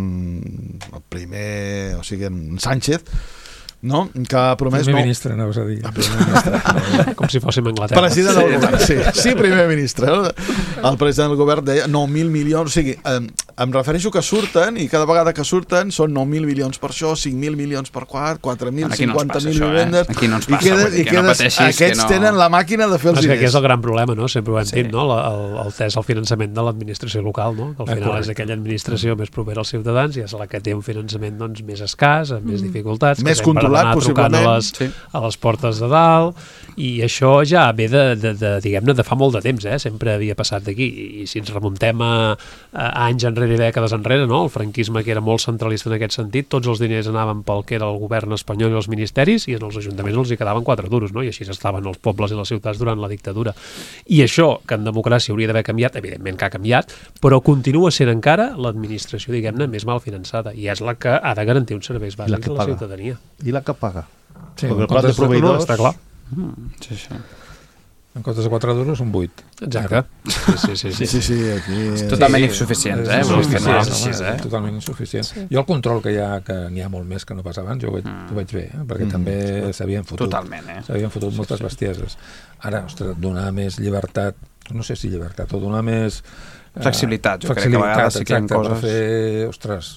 primer, o sigui, en Sánchez, no? Que ha promès... Primer ministre, anaves a dir. Com si fóssim Anglaterra. President del govern, sí, primer ministre. El president del govern deia 9.000 milions, o sigui, em refereixo que surten, i cada vegada que surten són 9.000 milions per això, 5.000 milions per quart, 4.000, 50.000 vivendes... Aquí no ens passa, vull dir que no pateixis. Aquests tenen la màquina de fer els diners. Aquest és el gran problema, no? Sempre ho hem dit, no? El finançament de l'administració local, no? Que al final és aquella administració més propera als ciutadans i és la que té un finançament més escàs, amb més dificultats, més controlat, possiblement, a les portes de dalt, i això ja ve diguem-ne, de fa molt de temps, sempre havia passat d'aquí, i si ens remuntem a anys enrere i dècades enrere, no? El franquisme, que era molt centralista en aquest sentit, tots els diners anaven pel que era el govern espanyol i els ministeris, i en els ajuntaments els hi quedaven 4 duros, no? I així estaven els pobles i les ciutats durant la dictadura. I això, que en democràcia hauria d'haver canviat, evidentment que ha canviat, però continua sent encara l'administració, diguem-ne, més mal finançada, i és la que ha de garantir uns serveis bàsics a la ciutadania. I la que paga. Sí, perquè el plat de proveïdors... Està clar. Sí. En comptes de 4 duros, un 8. Exacte. Sí, aquí... Totalment insuficients, Totalment insuficients. Jo el control que hi ha, que n'hi ha molt més que no pas abans, jo ho veig bé, perquè també s'havien fotut. Totalment, s'havien fotut moltes bestieses. Ara, ostres, donar més llibertat, no sé si llibertat, o donar més... Flexibilitat, jo crec que a vegades sí que hi ha coses... Per fer, ostres,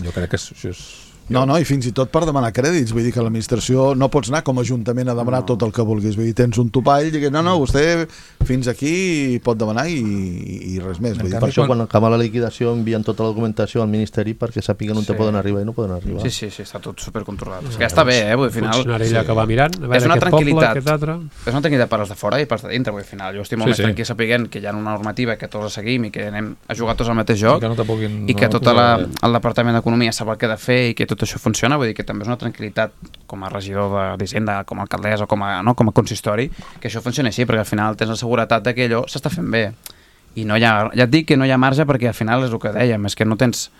jo crec que això és... No, i fins i tot per demanar crèdits, vull dir que l'administració no pots anar com a ajuntament a demanar tot el que vulguis, vull dir, tens un topall i no, vostè fins aquí pot demanar i res més. Vull dir. Per això quan acaba la liquidació envien tota la documentació al Ministeri perquè sàpiguen on te poden arribar i no poden arribar. Sí, està tot supercontrolat. És que està bé, vull dir, al final... Funcionari allà que va mirant, a veure aquest poble, aquest altre... És una tranquil·litat per als de fora i per als de dintre, vull dir, al final. Jo estic molt més tranquil sapiguent que hi ha una normativa que tots la seguim i que anem a jugar tots al mateix joc i que tot el Departament d'Economia sap el que ha de fer i que tot això funciona, vull dir que també és una tranquil·litat com a regidor d'Hisenda, com a alcaldessa o com a consistori, que això funcioni així, perquè al final tens la seguretat de que allò s'està fent bé. I no hi ha, ja et dic que no hi ha marge perquè al final és el que dèiem, és que no tens...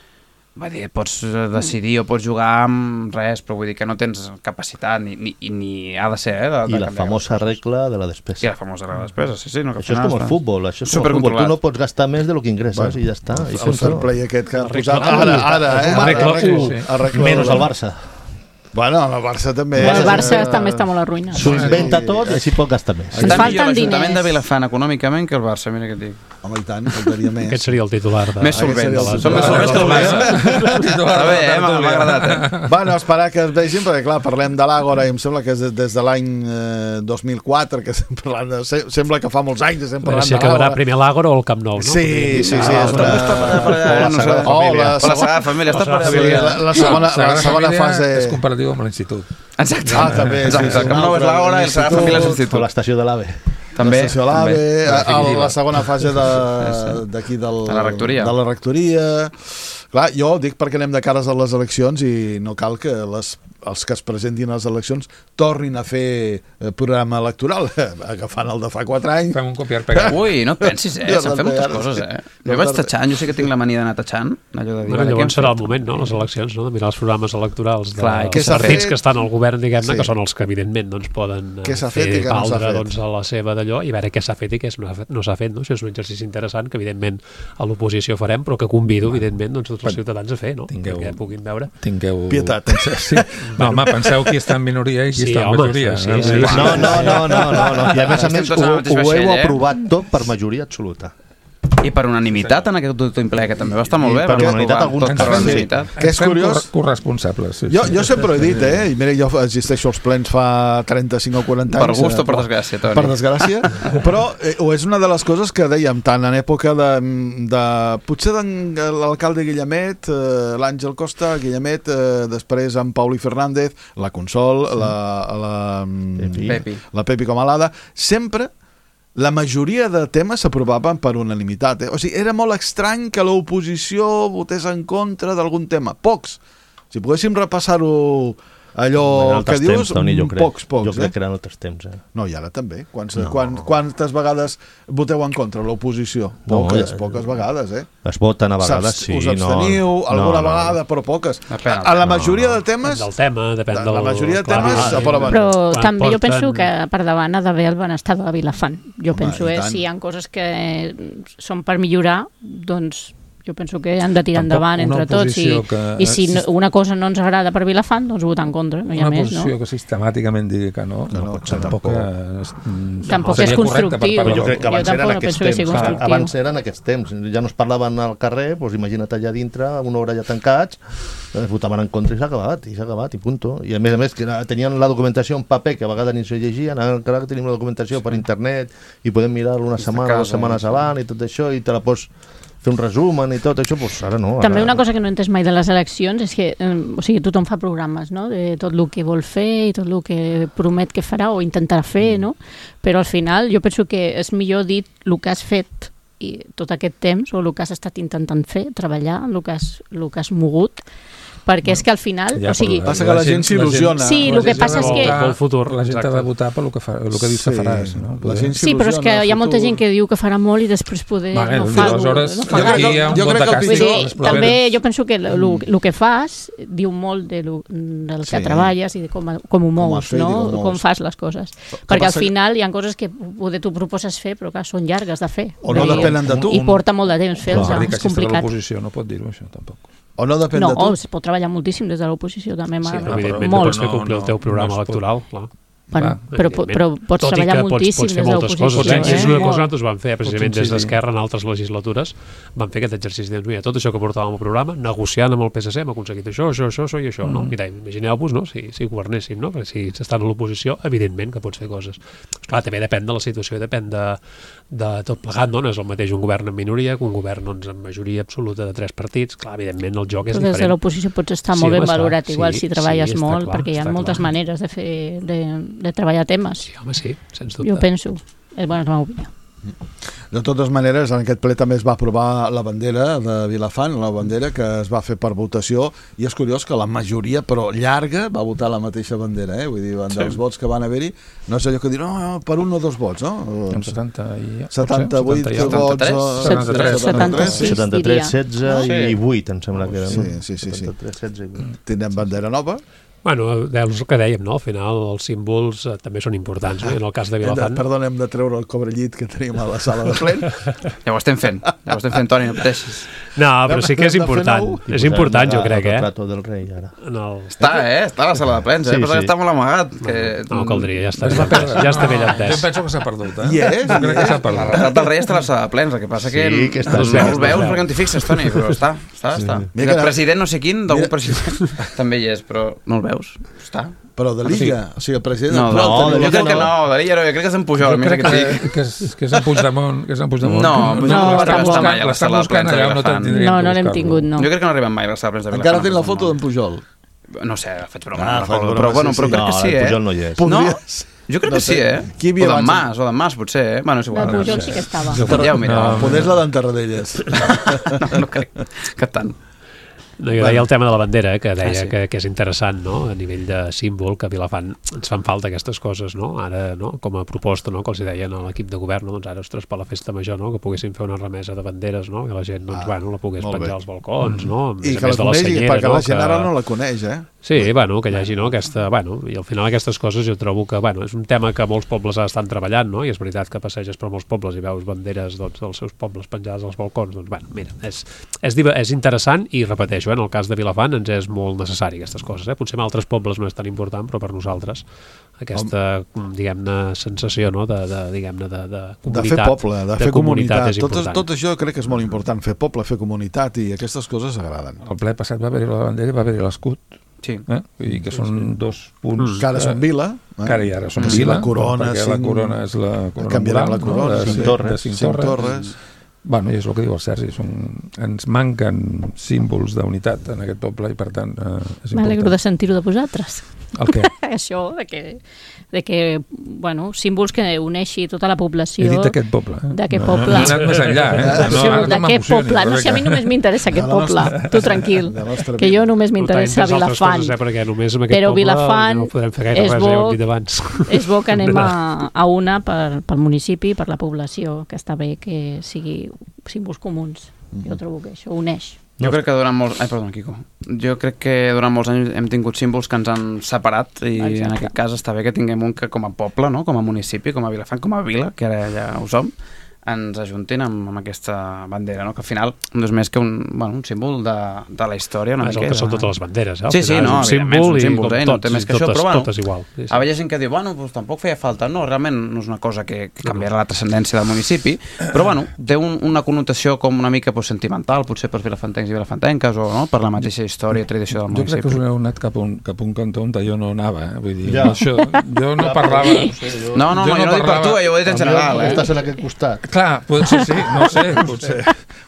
Va dir, pots decidir o pots jugar amb res, però vull dir que no tens capacitat ni ha de ser, I la famosa regla de la despesa. I la famosa regla de la despesa, sí. No, això és com el futbol, Tu no pots gastar més de lo que ingresses i ja està. El fair play aquest que ha posat ara, menys el Barça. Bueno, el Barça també... El Barça també està molt arruïnat. S'ho inventa tot i així pot gastar més. Està millor l'Ajuntament de Vilafant econòmicament que el Barça, mira què et dic. Home, i tant, faltaria més. Aquest seria el titular. Més solvent. Som més solvents que el Barça. Està bé, m'ha agradat. Bueno, esperar que es vegin, perquè clar, parlem de l'Àgora i em sembla que és des de l'any 2004 que estem parlant, sembla que fa molts anys que estem parlant de l'Àgora. Si acabarà primer l'Àgora o el Camp Nou, no? Sí. La Sagrada Família. La segona fase... És comparatiu amb l'Institut. Exacte. També. El Camp Nou és l'Àgora i la Sagrada Família és l'Institut. O l'estació de l'AVE. També. L'estació de l'AVE, la segona fase d'aquí de la rectoria. Clar, jo dic perquè anem de cares a les eleccions i no cal que els que es presentin a les eleccions tornin a fer programa electoral, agafant el de fa 4 anys. Fem un copiar-pegar. Ui, no et pensis, se'n fem moltes coses, Jo vaig tatxant, jo sé que tinc la mania d'anar tatxant, allò de dir... Llavors serà el moment, no?, les eleccions, no?, de mirar els programes electorals dels partits partits que estan al govern, diguem-ne, que són els que evidentment poden fer valdre a la seva d'allò i veure què s'ha fet i què no s'ha fet, no? Això és un exercici interessant que evidentment a l'oposició farem, però que convido evidentment tots els ciutadans a fer, no?, perquè puguin veure. Tingueu pietat. No, home, penseu qui està en minoria i qui està en majoria. No. I a més ho heu aprovat tot per majoria absoluta. I per unanimitat en aquest autoimple, que també va estar molt bé. Per unanimitat alguns. Que és curiós. Corresponsables. Jo sempre he dit, i mira, jo existeixo als plens fa 35 o 40 anys. Per gust o per desgràcia, Toni? Per desgràcia, però és una de les coses que dèiem, tant en època potser de l'alcalde Guillemet, l'Àngel Costa, Guillemet, després en Pauli Fernández, la Consol, la Pepi com a l'Ada, sempre la majoria de temes s'aprovaven per unanimitat. O sigui, era molt estrany que l'oposició votés en contra d'algun tema. Pocs. Si poguéssim repassar-ho allò que dius, pocs. Jo crec que eren altres temps. No, i ara també. Quantes vegades voteu en contra l'oposició? Poques vegades, Es voten a vegades, sí. Us absteniu alguna vegada, però poques. A la majoria de temes... Del tema, depèn del... La majoria de temes s'aproven. Però també jo penso que per davant ha d'haver el benestar de Vilafant. Jo penso, si hi ha coses que són per millorar, doncs... Jo penso que han de tirar endavant entre tots i si una cosa no ens agrada per Vilafant, doncs votar en contra, no hi ha més, no? Una posició que sistemàticament digui que no tampoc és constructiu. Jo crec que abans eren aquests temps. Abans eren aquests temps. Ja no es parlaven al carrer, doncs imagina't allà dintre, una hora ja tancats, votaven en contra i s'ha acabat, i punto. I a més que tenien la documentació en paper, que a vegades ni se llegien, ara que tenim la documentació per internet i podem mirar-lo una setmana, 2 setmanes abans i tot això, i te la pots fer un resumen i tot això, doncs ara no. També una cosa que no he entès mai de les eleccions és que, tothom fa programes, no?, de tot el que vol fer i tot el que promet que farà o intentarà fer, no? Però al final jo penso que és millor dir el que has fet i tot aquest temps, o el que has estat intentant fer, treballar, el que has mogut, perquè és que al final... Passa que la gent s'il·lusiona. Sí, el que passa és que... La gent ha de votar pel que dius que faràs. Sí, però és que hi ha molta gent que diu que farà molt i després poder no fa. Aleshores, aquí hi ha un vot de càstig. També jo penso que el que fas diu molt del que treballes i de com ho mous, com fas les coses. Perquè al final hi ha coses que poder tu proposes fer, però que són llargues de fer. O no depenen de tu. I porta molt de temps fer-los, és complicat. L'oposició no pot dir-ho, això, tampoc. O no depèn de tu? No, es pot treballar moltíssim des de l'oposició, també. Sí, però evidentment no pots fer complir el teu programa electoral, clar. Però pots treballar moltíssim des de l'oposició. És una cosa que nosaltres vam fer, precisament des d'Esquerra en altres legislatures, vam fer aquest exercici de mira, tot això que portàvem al programa, negociant amb el PSC, hem aconseguit això i això. No? Mira, imagineu-vos, no? Si governéssim, no? Perquè si s'estan a l'oposició, evidentment que pots fer coses. Clar, també depèn de la situació, depèn de tot plegat, no? No és el mateix un govern en minoria que un govern amb majoria absoluta de 3 partits. Clar, evidentment el joc és diferent. Des de l'oposició pots estar molt ben valorat, igual si treballes molt, perquè hi ha moltes maneres de treballar temes. Sí, home, sí, sens dubte. Jo penso, és bona la meva opinió. De totes maneres, en aquest ple també es va aprovar la bandera de Vilafant, la bandera que es va fer per votació, i és curiós que la majoria, però llarga, va votar la mateixa bandera, Vull dir, dels vots que van haver-hi, no és allò que dir, no, per un o dos vots, no? Amb 70 i... 78 vots... 73. 73, 16 i 8, em sembla que eren. Sí. 73, 16 i 8. Tindrem bandera nova. Bueno, és el que dèiem, no? Al final els símbols també són importants, no? En el cas de Vilafant... Perdona, hem de treure el cobrellit que tenim a la sala de plens. Ja ho estem fent, Toni, no pateixis. No, però sí que és important. És important, jo crec, El retrato del rei, ara. Està a la sala de plens, Sí, Però sí. està molt amagat. No caldria, ja està ben Jo entès. penso que s'ha perdut, I és? Jo crec que s'ha El perdut. retrat del rei està a la sala de plens, el que passa que Sí, que està no al el veu, veus perquè no t'hi fixes, Toni, però està. I el president no sé quin, d'algun president també hi és, però no el veus. Està. Però de l'Illa, o sigui, el president... No, actual jo tenia- crec que no, de l'Illa no, jo crec que és en Pujol, Jo més crec que et dic. que és en Puigdemont. No, Pujol no està està mai a la sala de plens de Vilafant. No l'hem tingut, no. Jo crec que no arriben mai a la sala de plens de Vilafant. Encara té la foto d'en Pujol. No sé, faig broma, Ah, no faig recordo, broma, però sí, crec que sí, el Pujol no hi és. No, Podries... jo crec No que sí, sé. Qui hi havia O d'en abans? Mas, potser, Bueno, és igual. El Pujol sí que estava. Ja ho mireu. Poder és la d'en Tarradellas. No crec que tant. No, jo deia el tema de la bandera, que deia sí. que és interessant, no? A nivell de símbol, que a Vilafant ens fan falta aquestes coses, no? Ara, no? Com a proposta, no? Que els deien a l'equip de govern, no? Doncs ara, ostres, per la festa major, no? Que poguessin fer una remesa de banderes, no? Que la gent, doncs, la pogués molt bé. penjar als balcons, no? A I més a que la més de la conegui, senyera, perquè la gent que- ara no la coneix, Sí, bueno, que hi hagi, no? Aquesta, bueno, i al final aquestes coses jo trobo que, bueno, és un tema que molts pobles estan treballant, no? I és veritat que passeges per molts pobles i veus banderes, doncs, dels seus pobles penjades als balcons, doncs, bueno, mira, és interessant i repeteixo, en el cas de Vilafant ens és molt necessari aquestes coses, Potser en altres pobles no és tan important, però per nosaltres aquesta, diguem-ne, sensació, no? De comunitat. de fer poble, de fer comunitat. és important. Tot això crec que és molt important, fer poble, fer comunitat, i aquestes coses agraden. El ple passat va haver-hi la bandera i va haver-hi l'escut, Sí. Vull dir que són dos punts... Que ara són vila. Que ara i ara són Sí, vila, la corona, perquè la corona és la corona canviaran moral, la corona, de sí. Cinc Torres. Bueno, i és el que diu el Sergi, ens manquen símbols d'unitat en aquest poble i per tant és M'alegro important. de sentir-ho de vosaltres. El què? Això, de que, bueno, símbols que uneixi tota la població. He dit aquest poble. D'aquest No, poble. no he anat més enllà. D'aquest poble. No sé, a mi només m'interessa aquest De la poble. nostra- Tu tranquil. de la nostra Que vida. jo només m'interessa Tu t'interessa Vilafant. altres coses, perquè només amb aquest Però poble Vilafant no podem fer gaire és res, bo- ja ho hem dit abans. És bo que anem a una pel municipi, per la població, que està bé que sigui símbols comuns. Jo trobo que això uneix. Jo crec que durant molts... Ai, perdó, Quico. Jo crec que durant molts anys hem tingut símbols que ens han separat i Exacte. en aquest cas està bé que tinguem un que com a poble, no? Com a municipi, com a Vilafant, com a vila, que ara ja ho som, ens ajuntin amb aquesta bandera, no? Que al final no és més que un símbol de la història una És el miqueta. que són totes les banderes, Al Sí, final no, és un evidentment, símbol és un símbol, i com no té més que això, però bueno, totes igual. Sí, sí. A vegades gent que diu, doncs tampoc feia falta. No, realment no és una cosa que canviarà la transcendència del municipi, però bueno, té una connotació com una mica sentimental, potser per vilafantencs i vilafantenques, o no, per la mateixa història i tradició del Jo crec que us municipi. heu anat cap a un cantó on jo no anava, vull dir, Ja. això, jo no parlava... No, jo no dic per tu, jo ho he dit en general, Estàs en aquest costat. Clar, potser sí, no sé, potser.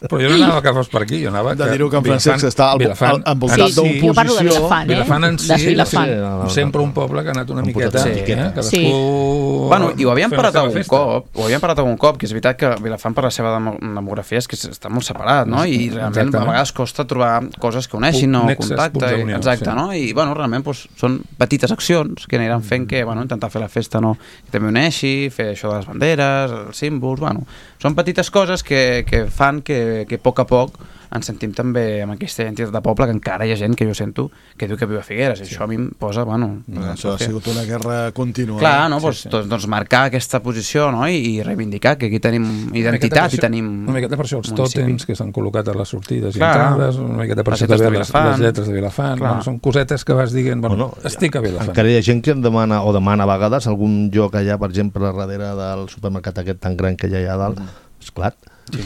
Però jo no anava que fos per aquí, jo anava... De dir-ho que en Francesc està envoltat Sí, jo parlo de d'oposició. Vilafant, Vilafant en si de és Vilafant. sempre un poble que ha anat una miqueta... Sí. Cadascú... Bueno, i ho havíem fent la parlat seva algun festa. cop, que és veritat que Vilafant per la seva demografia és que està molt separat, no? I realment Exactament. a vegades costa trobar coses que uneixin, no? Nexes, Contacte, punts d'unió, exacte, sí. no? I, bueno, realment doncs, són petites accions que aniran fent que, bueno, intentar fer la festa, no? Que també uneixi, fer això de les banderes, els símbols, bueno, són petites coses que fan que a poc ens sentim també amb aquesta identitat de poble, que encara hi ha gent que jo sento que diu que viu a Figueres, i això a mi em posa, bueno... Això ha sigut una guerra contínua. Clar, no? Doncs marcar aquesta posició, no? I reivindicar que aquí tenim identitat i tenim... Una miqueta per això els municipi. tòtems que s'han col·locat a les sortides i Clar. entrades, una miqueta per Les això lletres també de les Vilafant. lletres de Vilafant. Clar. Bueno, són cosetes que vas dient, bueno, Bueno, estic a Vilafant. Encara hi ha gent que em demana a vegades algun lloc allà, per exemple, darrere del supermercat aquest tan gran que hi ha allà dalt. Esclar,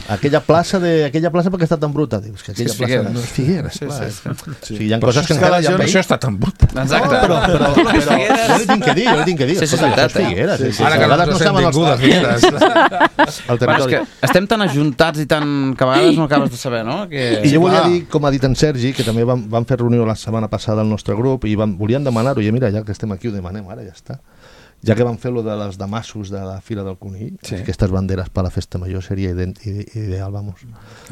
aquella plaça perquè està tan bruta. Dius que aquella És plaça Figueres. no és Figueres, Sí, clar. sí, O sigui, hi ha coses que encara hi ha Per això està tan but. Exacte. però jo li tinc que dir, Sí, sí, és escolta, veritat, això és Figueres. Sí, sí. A Ara que vegades no nosaltres hem saben vingut a Figueres. el Bueno, és territori. que estem tan ajuntats i tan... que a vegades no acabes de saber, no? Que... I jo volia clar. dir, com ha dit en Sergi, que també vam fer reunió la setmana passada al nostre grup i volien demanar-ho, i mira, ja que estem aquí ho demanem, ara ja està. ja que van fer lo de les damassos de la Fira del Conill, aquestes banderes per la festa major seria ideal, vamos.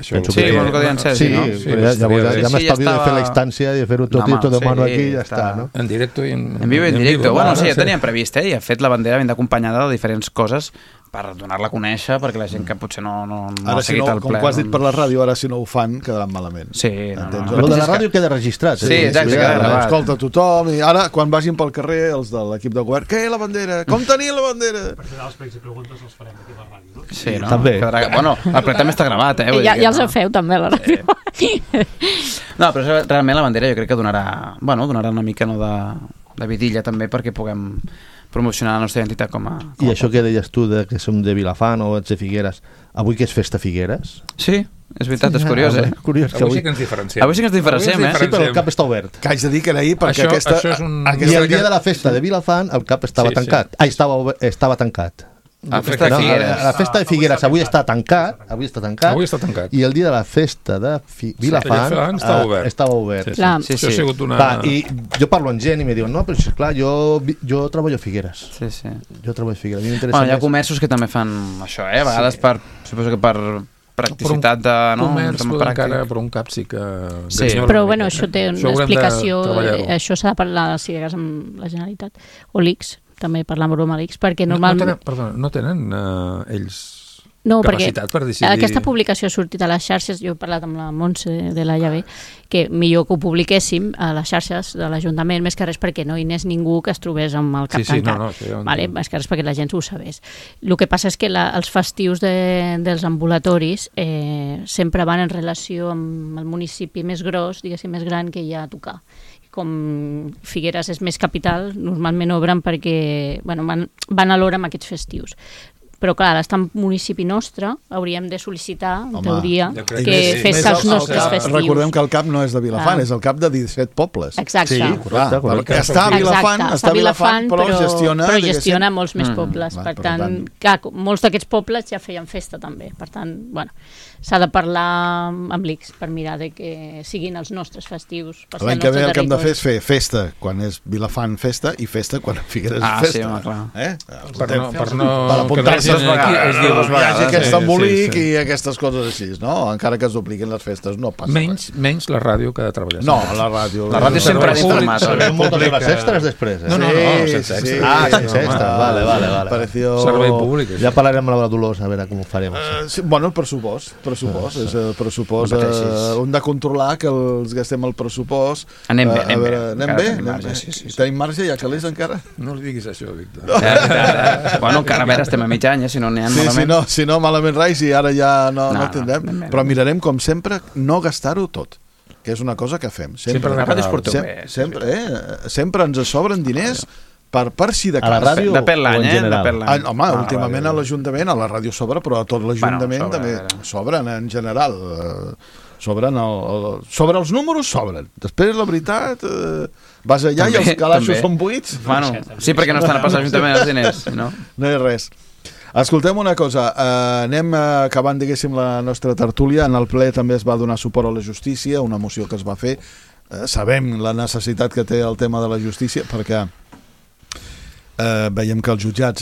Sí, vols que diuen Sergi, no? Ja m'estalvio de fer la instància i de fer-ho tot i tot de mano aquí i ja està, no? En directo i en vivo i en directo. Bueno, sí, ja teníem previst, i de fet la bandera ben acompanyada de diferents coses per donar-la a conèixer, perquè la gent que potser no ha seguit el ple... Com que has dit per la ràdio, ara si no ho fan, quedaran malament. Sí, Lo de la ràdio queda registrat. Sí, exacte, queda gravat. Escolta tothom, i ara, quan vagin pel carrer, els de l'equip de govern, què, la bandera? Com tenia la bandera? Per final, els pregs i preguntes els farem aquí a la ràdio, no? Sí, no? També. Bueno, el ple també està gravat, Ja els feu també a la ràdio. No, però realment la bandera jo crec que donarà una mica de vidilla també perquè puguem promocionar la nostra identitat com a I això que deies tu de que som de Vilafant o ets de Figueres, avui que és festa Figueres? Sí, és veritat, és curiós, Curiós que avui sí que ens diferenciem. Avui sí que ens diferenciem, Sí, però el cap està obert. Que haig de dir que era ahir, perquè això és un... I el dia de la festa de Vilafant el cap estava tancat. Estava tancat. La festa de Figueres. La festa de Figueres avui està tancat. Avui està tancat. I el dia de la festa de Vilafant estava obert. Sí. Això ha sigut una... I jo parlo amb gent i me diuen, no, però clar, jo treballo a Figueres. Sí. Jo treballo a Figueres. A mi m'interessa hi ha comerços que també fan això, a vegades suposo que per practicitat de... Comerç, per un cap sí que... Sí, però bueno, això té una explicació, això s'ha de parlar si hagués amb la Generalitat o l'ICS, també parlar amb l'ICS, perquè normalment... No tenen ells No, capacitat per decidir... Aquesta publicació ha sortit a les xarxes, jo he parlat amb la Montse de la Llave, que millor que ho publiquéssim a les xarxes de l'Ajuntament, més que res perquè no hi anés ningú que es trobés amb el cap tancat. Més que res perquè la gent ho sabés. El que passa és que els festius dels ambulatoris sempre van en relació amb el municipi més gros, diguéssim, més gran que hi ha a tocar. Com Figueres és més capital, normalment obren perquè van a l'hora amb aquests festius. Però clar, l'estant municipi nostre hauríem de sol·licitar, en teoria, que fes els nostres festius. Recordem que el CAP no és de Vilafant, és el CAP de 17 pobles. Exacte. Sí, correcte. Està a Vilafant, però gestiona molts més pobles. Per tant, molts d'aquests pobles ja feien festa també. Per tant, s'ha de parlar amb l'ICS per mirar que siguin els nostres festius. L'any que ve el que hem de fer és fer festa quan és Vilafant festa i festa quan Figueres és festa. Sí, home, clar. Per no apuntar-se hi hagi aquest embolic i aquestes coses així, no? Encara que es dupliquin les festes, no passa res. Menys la ràdio que ha de treballar. No, la ràdio... La ràdio sempre ha informat. Moltes hores extres després. No, sense extres. Sense extres, vale. Servei públic. Ja parlarem amb la Dolors a veure com ho farem. Bueno, el pressupost. És el pressupost. Hem de controlar que els gastem el pressupost. Anem bé. Anem bé? Tenim marge, ja calés encara? No li diguis això, Víctor. Bueno, encara a veure, estem a mig any, si no n'hi ha malament. Si no, malament rais, i ara ja no tindrem. Però mirarem, com sempre, no gastar-ho tot, que és una cosa que fem. Sempre ens sobren diners per si de cas. Depèn l'any, Home, últimament a l'Ajuntament, a la ràdio sobra, però a tot l'Ajuntament també sobren en general. Sobre els números sobren. Després, la veritat, vas allà i els calaixos són buits. Sí, perquè no estan a passar l'Ajuntament els diners. No hi ha res. Escoltem una cosa, anem acabant, diguéssim, la nostra tertúlia. En el ple també es va donar suport a la justícia, una moció que es va fer. Sabem la necessitat que té el tema de la justícia, perquè veiem que els jutjats,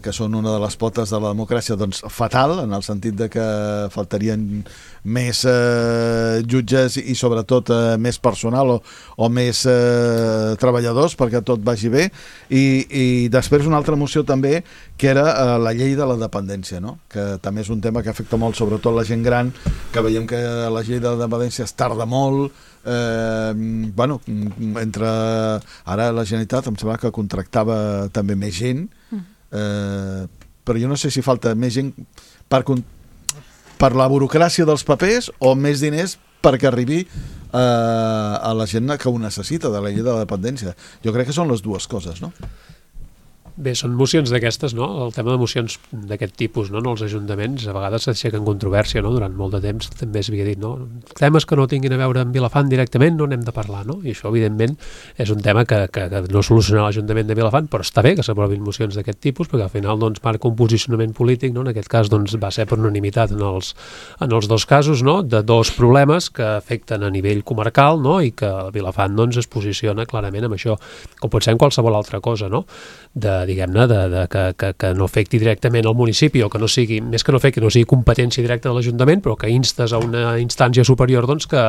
que són una de les potes de la democràcia, doncs fatal, en el sentit de que faltarien més jutges i sobretot més personal o més treballadors perquè tot vagi bé, i després una altra moció també que era la llei de la dependència, no? Que també és un tema que afecta molt sobretot la gent gran, que veiem que la llei de la dependència es tarda molt. Entre ara la Generalitat em sembla que contractava també més gent, però jo no sé si falta més gent per la burocràcia dels papers o més diners perquè arribi a la gent que ho necessita de la llei de la dependència. Jo crec que són les dues coses, no? Bé, són mocions d'aquestes, no? El tema de mocions d'aquest tipus, no? En els ajuntaments a vegades s'aixequen controvèrsia, no? Durant molt de temps també s'havia dit, no? Temes que no tinguin a veure amb Vilafant directament no n'hem de parlar, no? I això, evidentment, és un tema que no soluciona l'Ajuntament de Vilafant, però està bé que s'aprovin mocions d'aquest tipus, perquè al final doncs, marca un posicionament polític, no? En aquest cas doncs, va ser per unanimitat en els dos casos, no? De dos problemes que afecten a nivell comarcal, no? I que Vilafant doncs, es posiciona clarament amb això, com pot ser en qualsevol altra cosa, no? De diguem-ne, que no afecti directament el municipi, o que no sigui, més que no afecti, no sigui competència directa de l'Ajuntament, però que instes a una instància superior doncs, que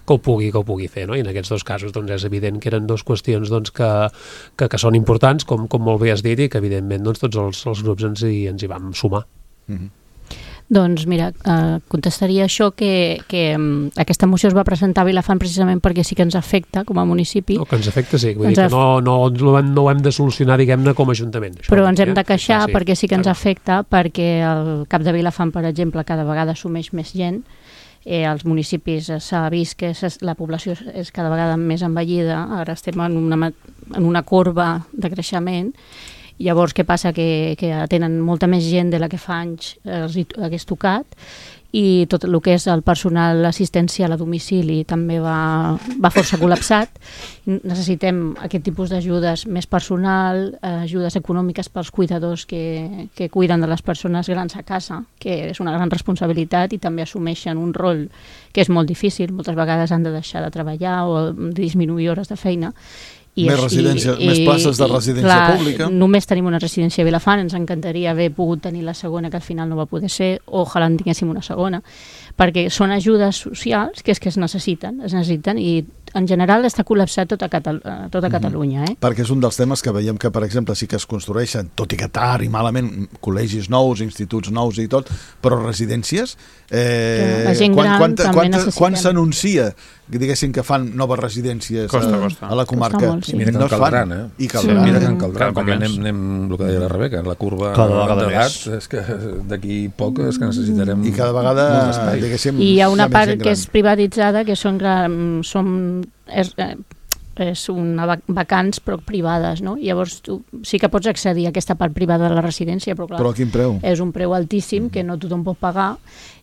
ho pugui fer, no? I en aquests dos casos doncs, és evident que eren dues qüestions doncs, que són importants, com molt bé has dit, i que evidentment doncs, tots els grups ens hi vam sumar. Doncs mira, contestaria això que aquesta moció es va presentar a Vilafant precisament perquè sí que ens afecta com a municipi. No, que ens afecta sí, vull dir que no ho hem de solucionar, diguem-ne, com a Ajuntament. Però ens hem de queixar perquè sí que ens afecta, perquè el cap de Vilafant, per exemple, cada vegada assumeix més gent. Als municipis s'ha vist que la població és cada vegada més envellida, ara estem en una corba de creixement. Llavors, què passa? Que tenen molta més gent de la que fa anys els hagués tocat, i tot el que és el personal assistencial a domicili també va força col·lapsat. Necessitem aquest tipus d'ajudes més personal, ajudes econòmiques pels cuidadors que cuiden de les persones grans a casa, que és una gran responsabilitat, i també assumeixen un rol que és molt difícil. Moltes vegades han de deixar de treballar o disminuir hores de feina. Més places de residència pública. Només tenim una residència a Vilafant, ens encantaria haver pogut tenir la segona, que al final no va poder ser, ojalà en tinguéssim una segona, perquè són ajudes socials que es necessiten, i en general està col·lapsat tota Catalunya. Perquè és un dels temes que veiem que, per exemple, sí que es construeixen, tot i que tard i malament, col·legis nous, instituts nous i tot, però residències, la gent gran també necessitem. Quan s'anuncia, diguéssim, que fan noves residències a la comarca? I mira que en caldran, I caldran. Mira que en caldran, perquè anem el que deia la Rebeca, la curva d'edat, és que d'aquí poc és que necessitarem... I cada vegada, diguéssim... I hi ha una part que és privatitzada, que són vacants però privades, no? Llavors tu sí que pots accedir a aquesta part privada de la residència, però clar, però a quin preu? És un preu altíssim que no tothom pot pagar,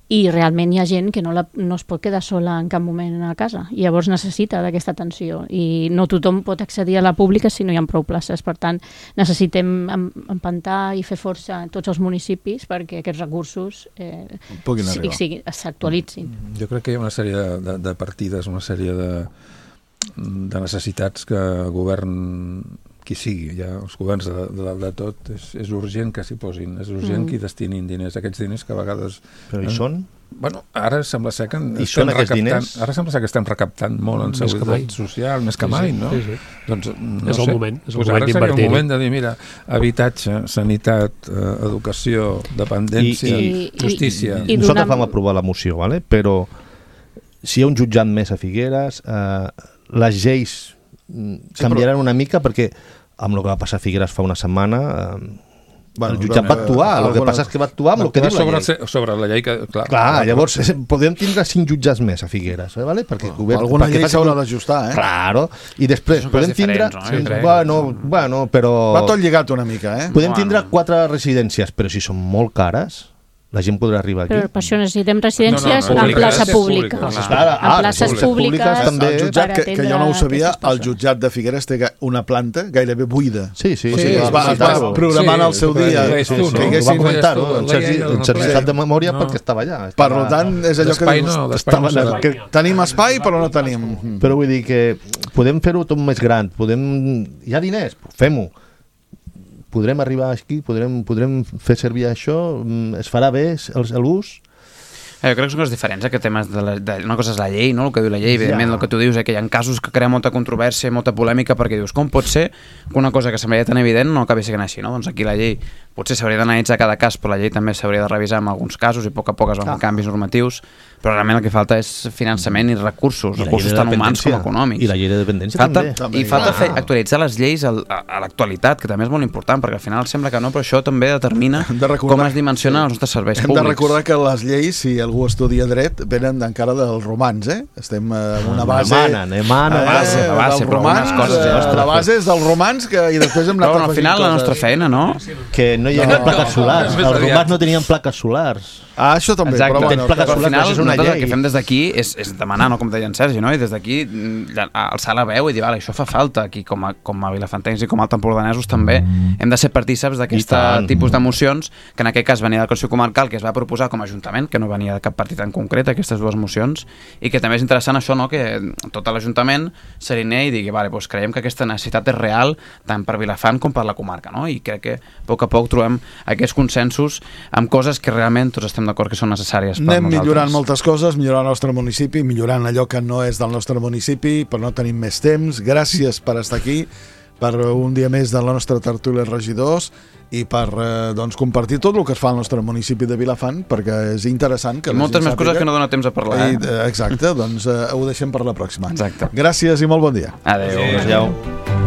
i realment hi ha gent que no es pot quedar sola en cap moment a casa, i llavors necessita d'aquesta atenció, i no tothom pot accedir a la pública si no hi ha prou places. Per tant, necessitem empantar i fer força a tots els municipis perquè aquests recursos s'actualitzin. Jo crec que hi ha una sèrie de partides, una sèrie de necessitats que el govern, qui sigui, ja els governs de tot, és urgent que s'hi posin, és urgent que hi destinin diners, aquests diners que a vegades... Però hi són? Bueno, ara sembla ser que estem recaptant molt en seguretat social, més que mai, no? Sí. Doncs, és el moment d'invertir. Ara seria el moment de dir, mira, habitatge, sanitat, educació, dependència, justícia... Nosaltres vam aprovar la moció, ¿vale? Però si hi ha un jutjat més a Figueres, les lleis canviaran una mica, perquè amb el que va passar a Figueres fa una setmana el jutjat va actuar, el que passa és que va actuar amb el que diu la llei. Sobre la llei que... Clar, llavors podem tindre 5 jutjats més a Figueres, ¿vale? Perquè alguna llei s'haurà d'ajustar, Claro, i després podem tindre... Bueno, però... Va tot lligat una mica, Podem tindre 4 residències, però si són molt cares, la gent podrà arribar aquí. Però per això necessitem residències en plaça pública. En places públiques també. El jutjat, que jo no ho sabia, el jutjat de Figueres té una planta gairebé buida. Sí. Es va programar al seu dia. Ho va comentar-ho, en certificat de memòria, perquè estava allà. Per tant, és allò que tenim espai, però no tenim. Però vull dir que podem fer-ho tot més gran, hi ha diners, fem-ho. Podrem arribar aquí, podrem fer servir això, es farà bé l'ús? Jo crec que són coses diferents, que temes una cosa és la llei, no? El que diu la llei, evidentment el que tu dius, que hi ha casos que creen molta controvèrsia, molta polèmica, perquè dius, com pot ser que una cosa que semblaria tan evident no acabi sent així, no? Doncs aquí la llei potser s'hauria d'analitzar cada cas, però la llei també s'hauria de revisar en alguns casos i a poc es van fer canvis normatius, però realment el que falta és finançament i recursos tant humans com econòmics. I la llei de dependència també. I falta actualitzar les lleis a l'actualitat, que també és molt important, perquè al final sembla que no, però això també determina com es dimensionen els nostres serveis públics. Hem de recordar que les lleis, si algú estudia dret, venen encara dels romans, Estem en una base... La base és dels romans i després hem anat al final la nostra feina, no? Que no no hi havia plaques solars. Els romans no tenien plaques solars. Això també, Exacte. però bueno. Plaques Però al solars, final, això és una nosaltres el llei. que fem des d'aquí és demanar, no? Com deia en Sergi, no? I des d'aquí alçar la veu i dir, vale, això fa falta aquí, com a vilafantencs i com a altempordanesos també hem de ser partíceps d'aquest tipus d'emocions, que en aquest cas venia del Consell Comarcal, que es va proposar com a Ajuntament, que no venia de cap partit en concret, aquestes dues mocions, i que també és interessant això, no? Que tot l'Ajuntament s'alinei i digui, vale, doncs creiem que aquesta necessitat és real tant per Vilafant com per la comarca, no? I crec que a poc a poc trobem aquests consensos amb coses que realment tots estem d'acord que són necessàries per Anem nosaltres. millorant moltes coses, millorant el nostre municipi, millorant allò que no és del nostre municipi, però no tenim més temps. Gràcies per estar aquí, per un dia més de la nostra tertúlia regidors i per doncs, compartir tot el que es fa al nostre municipi de Vilafant, perquè és interessant que I moltes més coses que no dona temps a parlar. Exacte, doncs ho deixem per la pròxima. Exacte. Gràcies i molt bon dia. Adéu. Adéu.